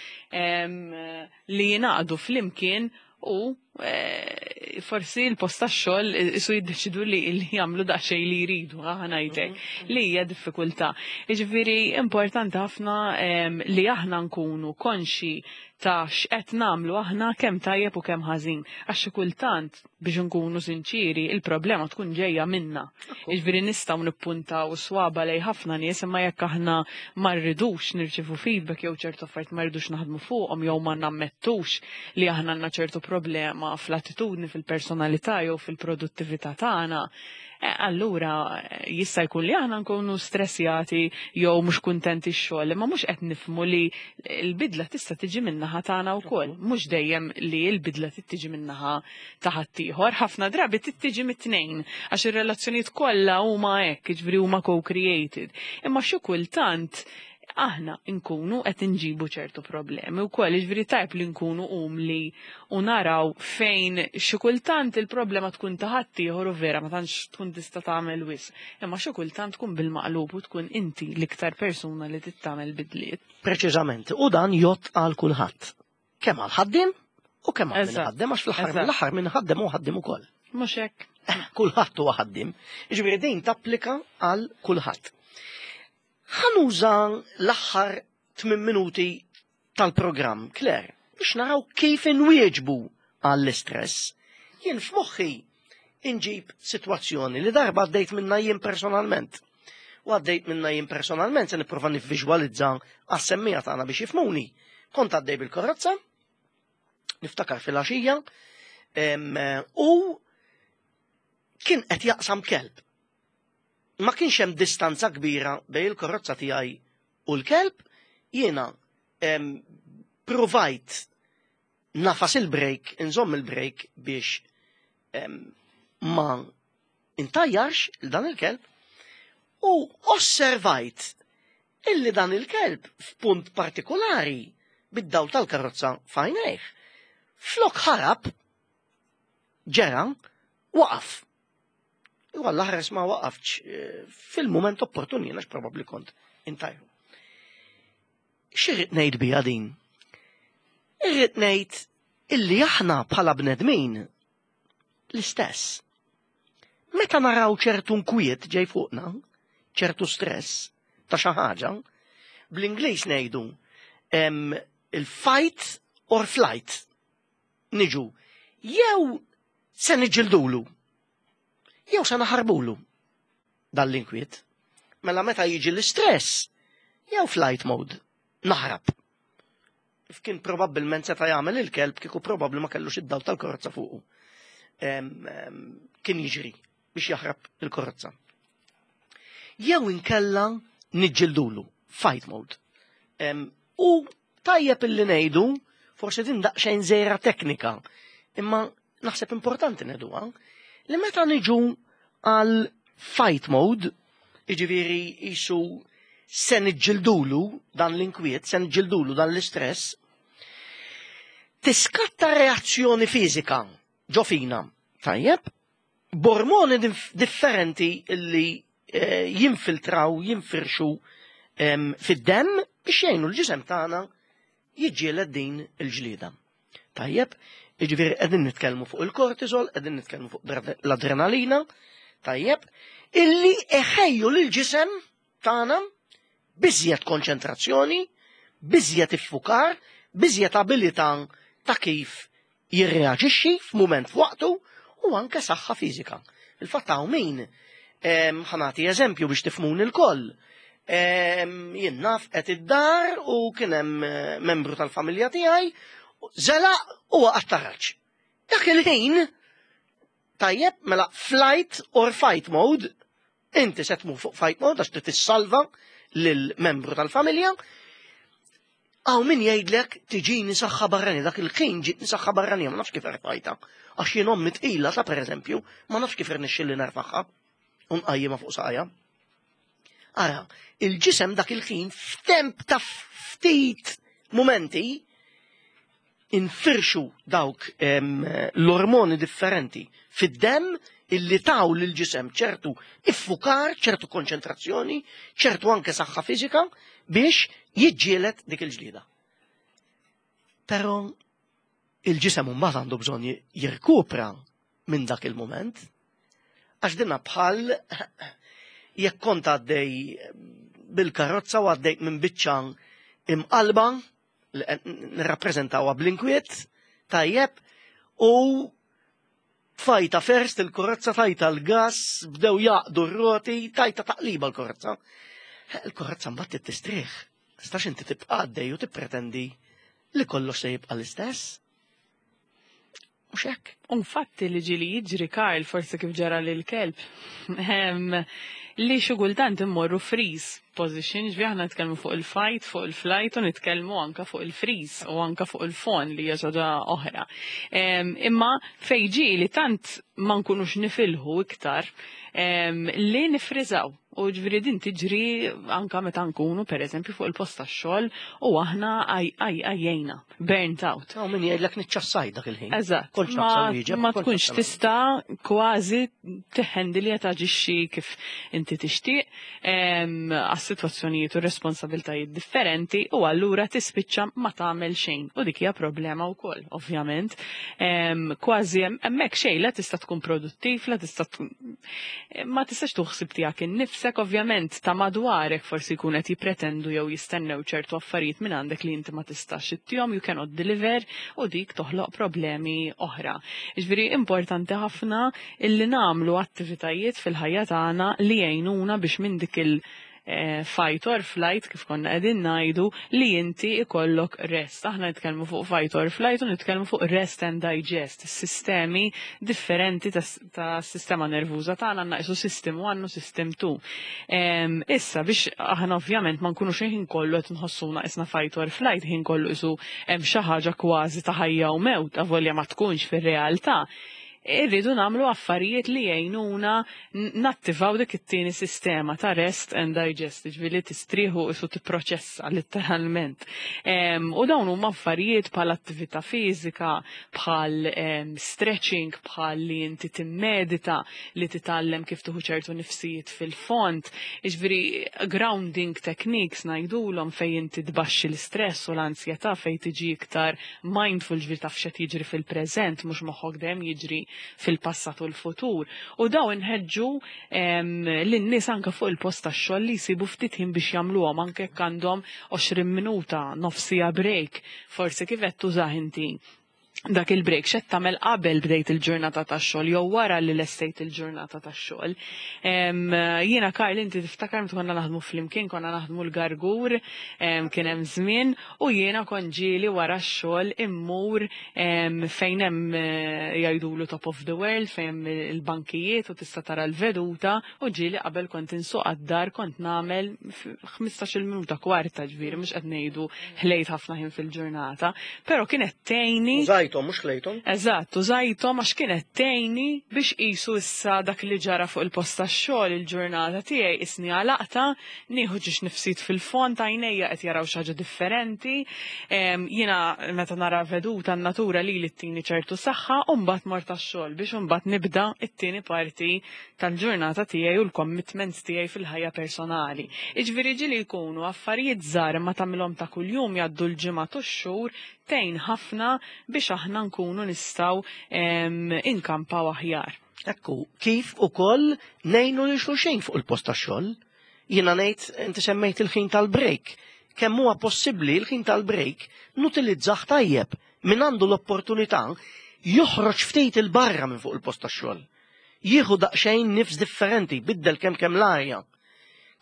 li jingħaqdu flimkien u eh, forsi l-post tax-xogħol isu jiddeċidu li jagħmlu daqsxejn li jridu, ħa ngħidlek, li hija diffikultà. Jiġifieri importanti ħafna li aħna nkunu konxi ta' x'qed nagħmlu aħna kemm tajjeb u kemm ħażin. Għax xi kultant biex nkunu sinċiri, il-problema tkun ġejja minna. Jiġifieri nistgħu nippuntaw swaba lej ħafna nies imma jekk aħna ma rridux nirċievu feedback jew ċertu affarijiet ma rridux naħdmu fuqhom jew ma nammettux li aħna għandna ċertu problema fl-attitudni, fil-personalità jew fil-produttività tagħna, eh, allura eh, jista' jkun li aħna nkunu stressjati jew mhux kuntenti x-xogħol, imma mhux qed nifhmu li l-bidla tista' tiġi min-naħa tagħna wkoll, mhux dejjem li l-bidla tiġi min-naħa ta' ħaddieħor, ħafna drabi tiġi mit-tnejn għax ir-relazzjonijiet kollha huma hekk, jiġifieri huma co-created. Imma xi kultant aħna nkunu qed inġibu ċertu problemi wkoll, jiġifieri tajb li nkunu umli u naraw fejn xi kultant il-problema tkun ta' ħaddieħor u vera ma tantx tkun tista' tagħmel wisq. Imma xi kultant tkun bil-maqlub u tkun inti l-iktar persuna li trid tagħmel bidliet. Preċiżament, u dan jgħodd għal kulħadd. Kemm għal ħaddiem u kemm għal min ħaddem għax fl-aħħar mill-aħħar min ħaddem hu ħaddiem ukoll. Mhux hekk. Kulħadd huwa ħaddiem. Jiġifieri din tapplika għal kulħadd. Ħa nuża l-aħħar 8 minuti tal-programm, Claire, biex naraw kif inwieġbu għall-istress, jien f'moħħi inġib sitwazzjoni li darba għaddejt minna jien personalment. U għaddejt minna jien personalment se nipprova nivviżwalizza għas-semmija tagħna biex jifmuni. Kont għaddej bil-karozza, niftakar fil-għaxija, u kien qed jaqsam kelb. Ma kienx hemm distanza kbira bejn il-karozza tiegħi u l-kelb, jiena provajt nafas il-brejk, inżomm il-brejk biex ma intajjarx il dan il-kelb u osservajt illi dan il-kelb f'punt partikolari bid-dawl tal-karozza f'għajnejh. Flok ħarab, ġera, waqaf. U għalla ħares ma waqafx eh, fil-moment opportun jiena probabbli kont intajru. X'irrid ngħid biha din? Irrid ngħid illi aħna bħala bnedmin l-istess. Meta naraw ċertu nkwiet ġej fuqna, ċertu stress ta' xi ħaġa, bl-Ingliż ngħidu il-fight or flight. Niġu jew se niġġildulu, jew se naħarbulu dan l-inkwiet. Mela meta jiġi l-istress, jew flight mode, naħrab. Kien probabbilment seta' jagħmel il-kelb kieku probabbli ma kellux id-dawl tal-karozza fuqu. Kien jiġri biex jaħrab il-karozza. Jew inkella niġġildulu, fight mode. U tajjeb illi ngħidu, forsi din daqsxejn żejra teknika, imma naħseb importanti ngħiduha, li meta niġu għal fight mode, jiġifieri jisu se niġġildulu dan l-inkwiet, se niġġildulu dan l-istress, tiskatta reazzjoni fiżika ġo fina. Tajjeb, b'ormoni differenti li eh, jinfiltraw, jinfirxu fid-demm biex jgħinu l-ġisem tagħna jiġġieled din il-ġlieda. Tajjeb, jiġifieri qegħdin nitkellmu fuq il-kortisol, qegħdin nitkellmu fuq l-adrenalina, tajjeb, illi eħejju lil ġisem tagħna biżjed konċentrazzjoni, biżjed iffukar, biżjed abilità ta' kif jirreaġixxi f'mument f'waqtu u anke saħħa fiżika. Il-fatt hawn min ħa nagħti eżempju biex tifhmuni lkoll. Jien naf qed id-dar u kien hemm eh, membru tal-familja tiegħi żelaq u waqa' taraġ. Dak il-ħin tajjeb mela flight or fight mode, inti se tmur fuq fight mode għax trid tissalva lil-membru tal-familja. Hawn min jgħidlek tiġini saħħa barranija, dak il-ħin ġietni saħħa barranija, ma nafx kif erfajta. Għax jien ommi tqila ta' pereżempju, ma nafx kif irnexxilli nerfaħħa u nqajjimha fuq saqajja. Ara, il-ġisem dak il-ħin f'temp ta' ftit momenti infirxu dawk l-ormoni differenti fid-demm illi taw lil ġisem ċertu iffukar, ċertu konċentrazzjoni, ċertu anke saħħa fiżika biex jiġġieled dik il-ġlieda. Però il-ġisem mbagħad għandu bżonn jirkupra minn dak il-moment, għax dinna bħal jekk kont għaddej bil-karozza u għaddejt minn biċċa imqalba li qed nirrappreżentawha bl-inkwiet, tajjeb, u tfajta first il-karozza tajta l-gas, bdew jaqdu r-roti, tajta taqliba l-karozza. Il-karozza mbagħad tistrieħ. Tistax inti tibqa' għaddej u tippretendi li kollox se jibqa' l-istess. Mhux hekk. Infatti li ġieli jiġri Karl, forsi kif ġara lil kelb, li xi kultant immorru freeze position, ġifieri aħna nitkellmu fuq il-fight, fuq il-flight u nitkellmu anka fuq il-freeze u anka fuq il-fawn li hija ħaġa oħra. Imma fejn ġieli tant ma nkunux nifilħu iktar li nifriżaw. U ġifieri din tiġri anka meta nkunu per eżempju fuq il-post tax-xogħol u aħna għajjejna, burnt out. Hawn min jgħidlek niċċassaj dak il-ħin. Eżatt. Kontx Ma, naqsam wieġeb, ma kontx tkunx naqsam tista' kważi tiħendi li taġixxi kif inti tixtieq għas-sitwazzjonijiet u responsabiltajiet differenti u allura tispiċċa ma tagħmel xejn. U dik hija problema wkoll, ovvjament. Kważi hemmhekk xejn la tista' tkun produttiv, la tista' tkun ma tistax tuħsib tiegħek innifsek. nnifsek, ovvjament ta' madwarek forsi jkun qed jippretendu jew jistennew ċertu affarijiet minn għandek li inti ma tistax ittihom, you cannot deliver, u dik toħloq problemi oħra. Jiġifieri importanti ħafna illi nagħmlu attivitajiet fil-ħajja tagħna li jgħinuna biex minn dik il- fight or flight, kif konna qegħdin ngħidu, li inti ikollok rest. Aħna nitkellmu fuq fight or flight u nitkellmu fuq rest and digest, sistemi differenti ta' sistema nervuża tagħna, għandna qisu system 1 u system 2. Issa biex aħna ovvjament ma nkunux ħin kollu qed nħossuna qisna fight or flight, ħin kollu qisu hemm xi ħaġa kważi ta' ħajja u mewt, avolja ma tkunx fir-realtà, irridu nagħmlu affarijiet li jgħinuna nattivaw dik it-tieni sistema ta' rest and digest, ġifieri tistrieħu isu tipproċessa letteralment. U dawn huma affarijiet bħal attività fiżika, bħal stretching, bħal li inti timmedita, li titgħallem kif tieħu ċertu nifsijiet fil-fond, ġifieri grounding techniques ngħidulhom, fejn inti tbaxxi l-istress u l-ansjetà, fejn tiġi iktar mindful, ġifieri taf x'qed jiġri fil-preżent, mhux moħħok dejjem jiġri fil-passat u l-futur. U daw inħeġġu lin-nies anke fuq il-post tax-xogħol li jsibu ftit ħin biex jagħmluhom, anke jekk għandhom 20 minuta, nofsija break, forsi kif qed tużah inti dak il-break, x'qed tagħmel qabel bdejt il-ġurnata tax-xogħol jew wara li lestejt il-ġurnata tax-xogħol. Jiena, Karl, inti tiftakar meta konna naħdmu flimkien, konna naħdmu l-Gargur, kien hemm żmien u jiena kont ġieli wara x-xogħol immur fejn hemm jgħidulu top of the world, fejn hemm il-bankijiet u tista' tara l-veduta, u ġieli qabel kont insuq għad-dar kont nagħmel 15-il minuta, kwarta, ġifieri mhux qed ngħidu ħlejt ħafna ħin fil-ġurnata, però kienet tgħinni. Użajthom, mhux ħlejthom. Eżatt, użajthom għax kienet tgħinni biex qisu issa dak li ġara fuq il-post tax-xogħol, il-ġurnata tiegħi isni għalaqta, nieħu ġiex nifsit fil-fond, għajnejja qed jaraw xi ħaġa differenti. Jiena meta nara veduta n-natura li li ttini ċertu saħħa, u mbagħad mort tax-xogħol biex imbagħad nibda t-tieni parti tal-ġurnata tiegħi u l-commitments tiegħi fil-ħajja personali. Iġifieri ġieli jkunu affarijiet żgħar imma tagħmilhom ta' kuljum, jgħaddu l-ġimgħat u x-xhur, tgħin ħafna biex aħna nkunu nistgħu inkampaw aħjar. Ekku, kif ukoll ngħinu lil xulxin fuq il-post tax-xogħol. Jiena ngħid, inti semmejt il-ħin tal-break. Kemm huwa possibbli l-ħin tal-break nutilizzah tajjeb, min għandu l-opportunità joħroġ ftit il-barra minn fuq il-post tax-xogħol. Jieħu daqsxejn nifs differenti, biddel kemm kemm l-arja.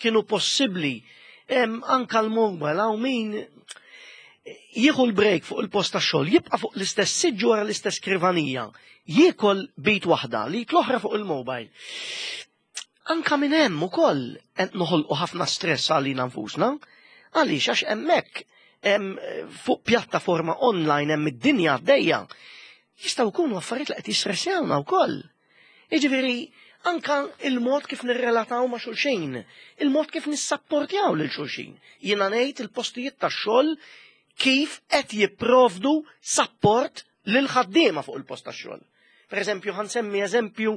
Kienu possibbli anka l-mobile, hawn min jieħu l-break fuq il-post tax-xogħol, jibqa' fuq l-istess siġġu wara l-istess skrivanija, jiekol bit waħda li l-oħra fuq il-mobile. Anka minn hemm ukoll qed noħolqu ħafna stress għalina nfusna, għaliex għax hemmhekk fuq pjattaforma online hemm id-dinja għaddejja. Jistgħu jkunu affarijiet li qed jistressjawna wkoll. Jiġifieri anka il-mod kif nirrelataw ma' xulxin, il-mod kif nissapportjaw lil xulxin. Jiena ngħid il-postijiet tax-xogħol kif qed jipprovdu sapport lil ħaddiema fuq il-post tax-xogħol. Per eżempju, ħa nsemmi eżempju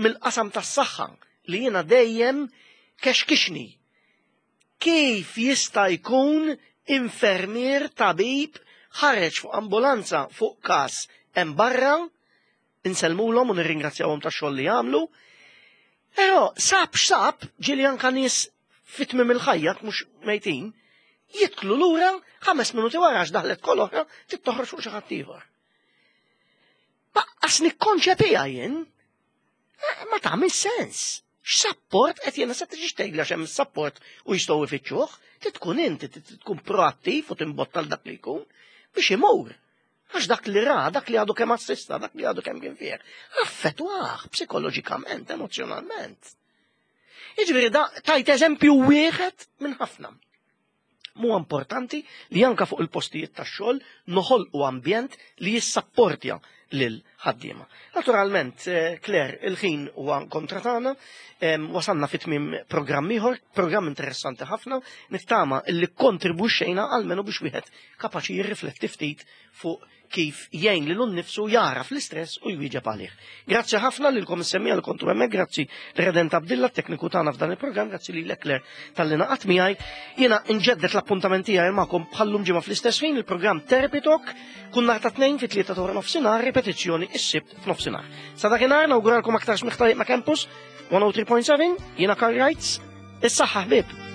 mill-qasam tas-saħħa li jiena dejjem kexkixni. Kif jista' jkun infermier, tabib ħareġ fuq ambulanza fuq każ hemm barra, insellmulhom u nirringrazzjawhom tax-xogħol li jagħmlu, però sab x'sab, ġieli anka nies fit-tmiem il-ħajja, mhux mejtin, jidħlu lura 5 minuti wara għax daħlet kol oħra trid toħroġ fuq xi ħadd ieħor. Baqqas nikkonċepiha jien, ma tagħmel sens. X'sapport qed jiena se tiġi tgħidli għax hemm sapport u jistgħu ifittxuh, trid tkun inti, trid tkun proattiv u timbotta l dak li jkun biex imur. Għax dak li ra, dak li għadu kemm assista, dak li għadu kemm kien fih, affettwah psikoloġikament, emozjonalment. Jiġifieri da tajt eżempju wieħed minn ħafna. Mu importanti li anka fuq il-postijiet tax-xogħol noħolqu ambjent li jissapportja lil ħaddiema. Naturalment, Claire, il-ħin huwa kontra tagħna, wasalna fi tmiem programm ieħor, programm interessanti ħafna, nittama li kontribwixxejna almenu biex wieħed kapaċi jirrifletti ftit fuq kif jgħin lilu nnifsu jagħraf l-istress u jwieġeb għalih. Grazzi ħafna lilkom is-semmiegħa li kontu hemmhekk, grazzi Redent Abdilla, tekniku tagħna f'dan il-programm, grazzi lilek Claire talli naqat miegħi. Jiena nġeddet l-appuntament tiegħi magħkom bħallum ġimgħa fl-istess ħin, il-programm Therapy Talk, kull nhar ta' Tnejn fit-3 ta' wara nofsinhar, ripetizzjoni is-Sibt f'nofsinhar. Sa dakinhar nawguralkom aktar smigħ tajjeb ma' Campus 103.7, jiena Karl Reitz. Is-saħħa ħbieb!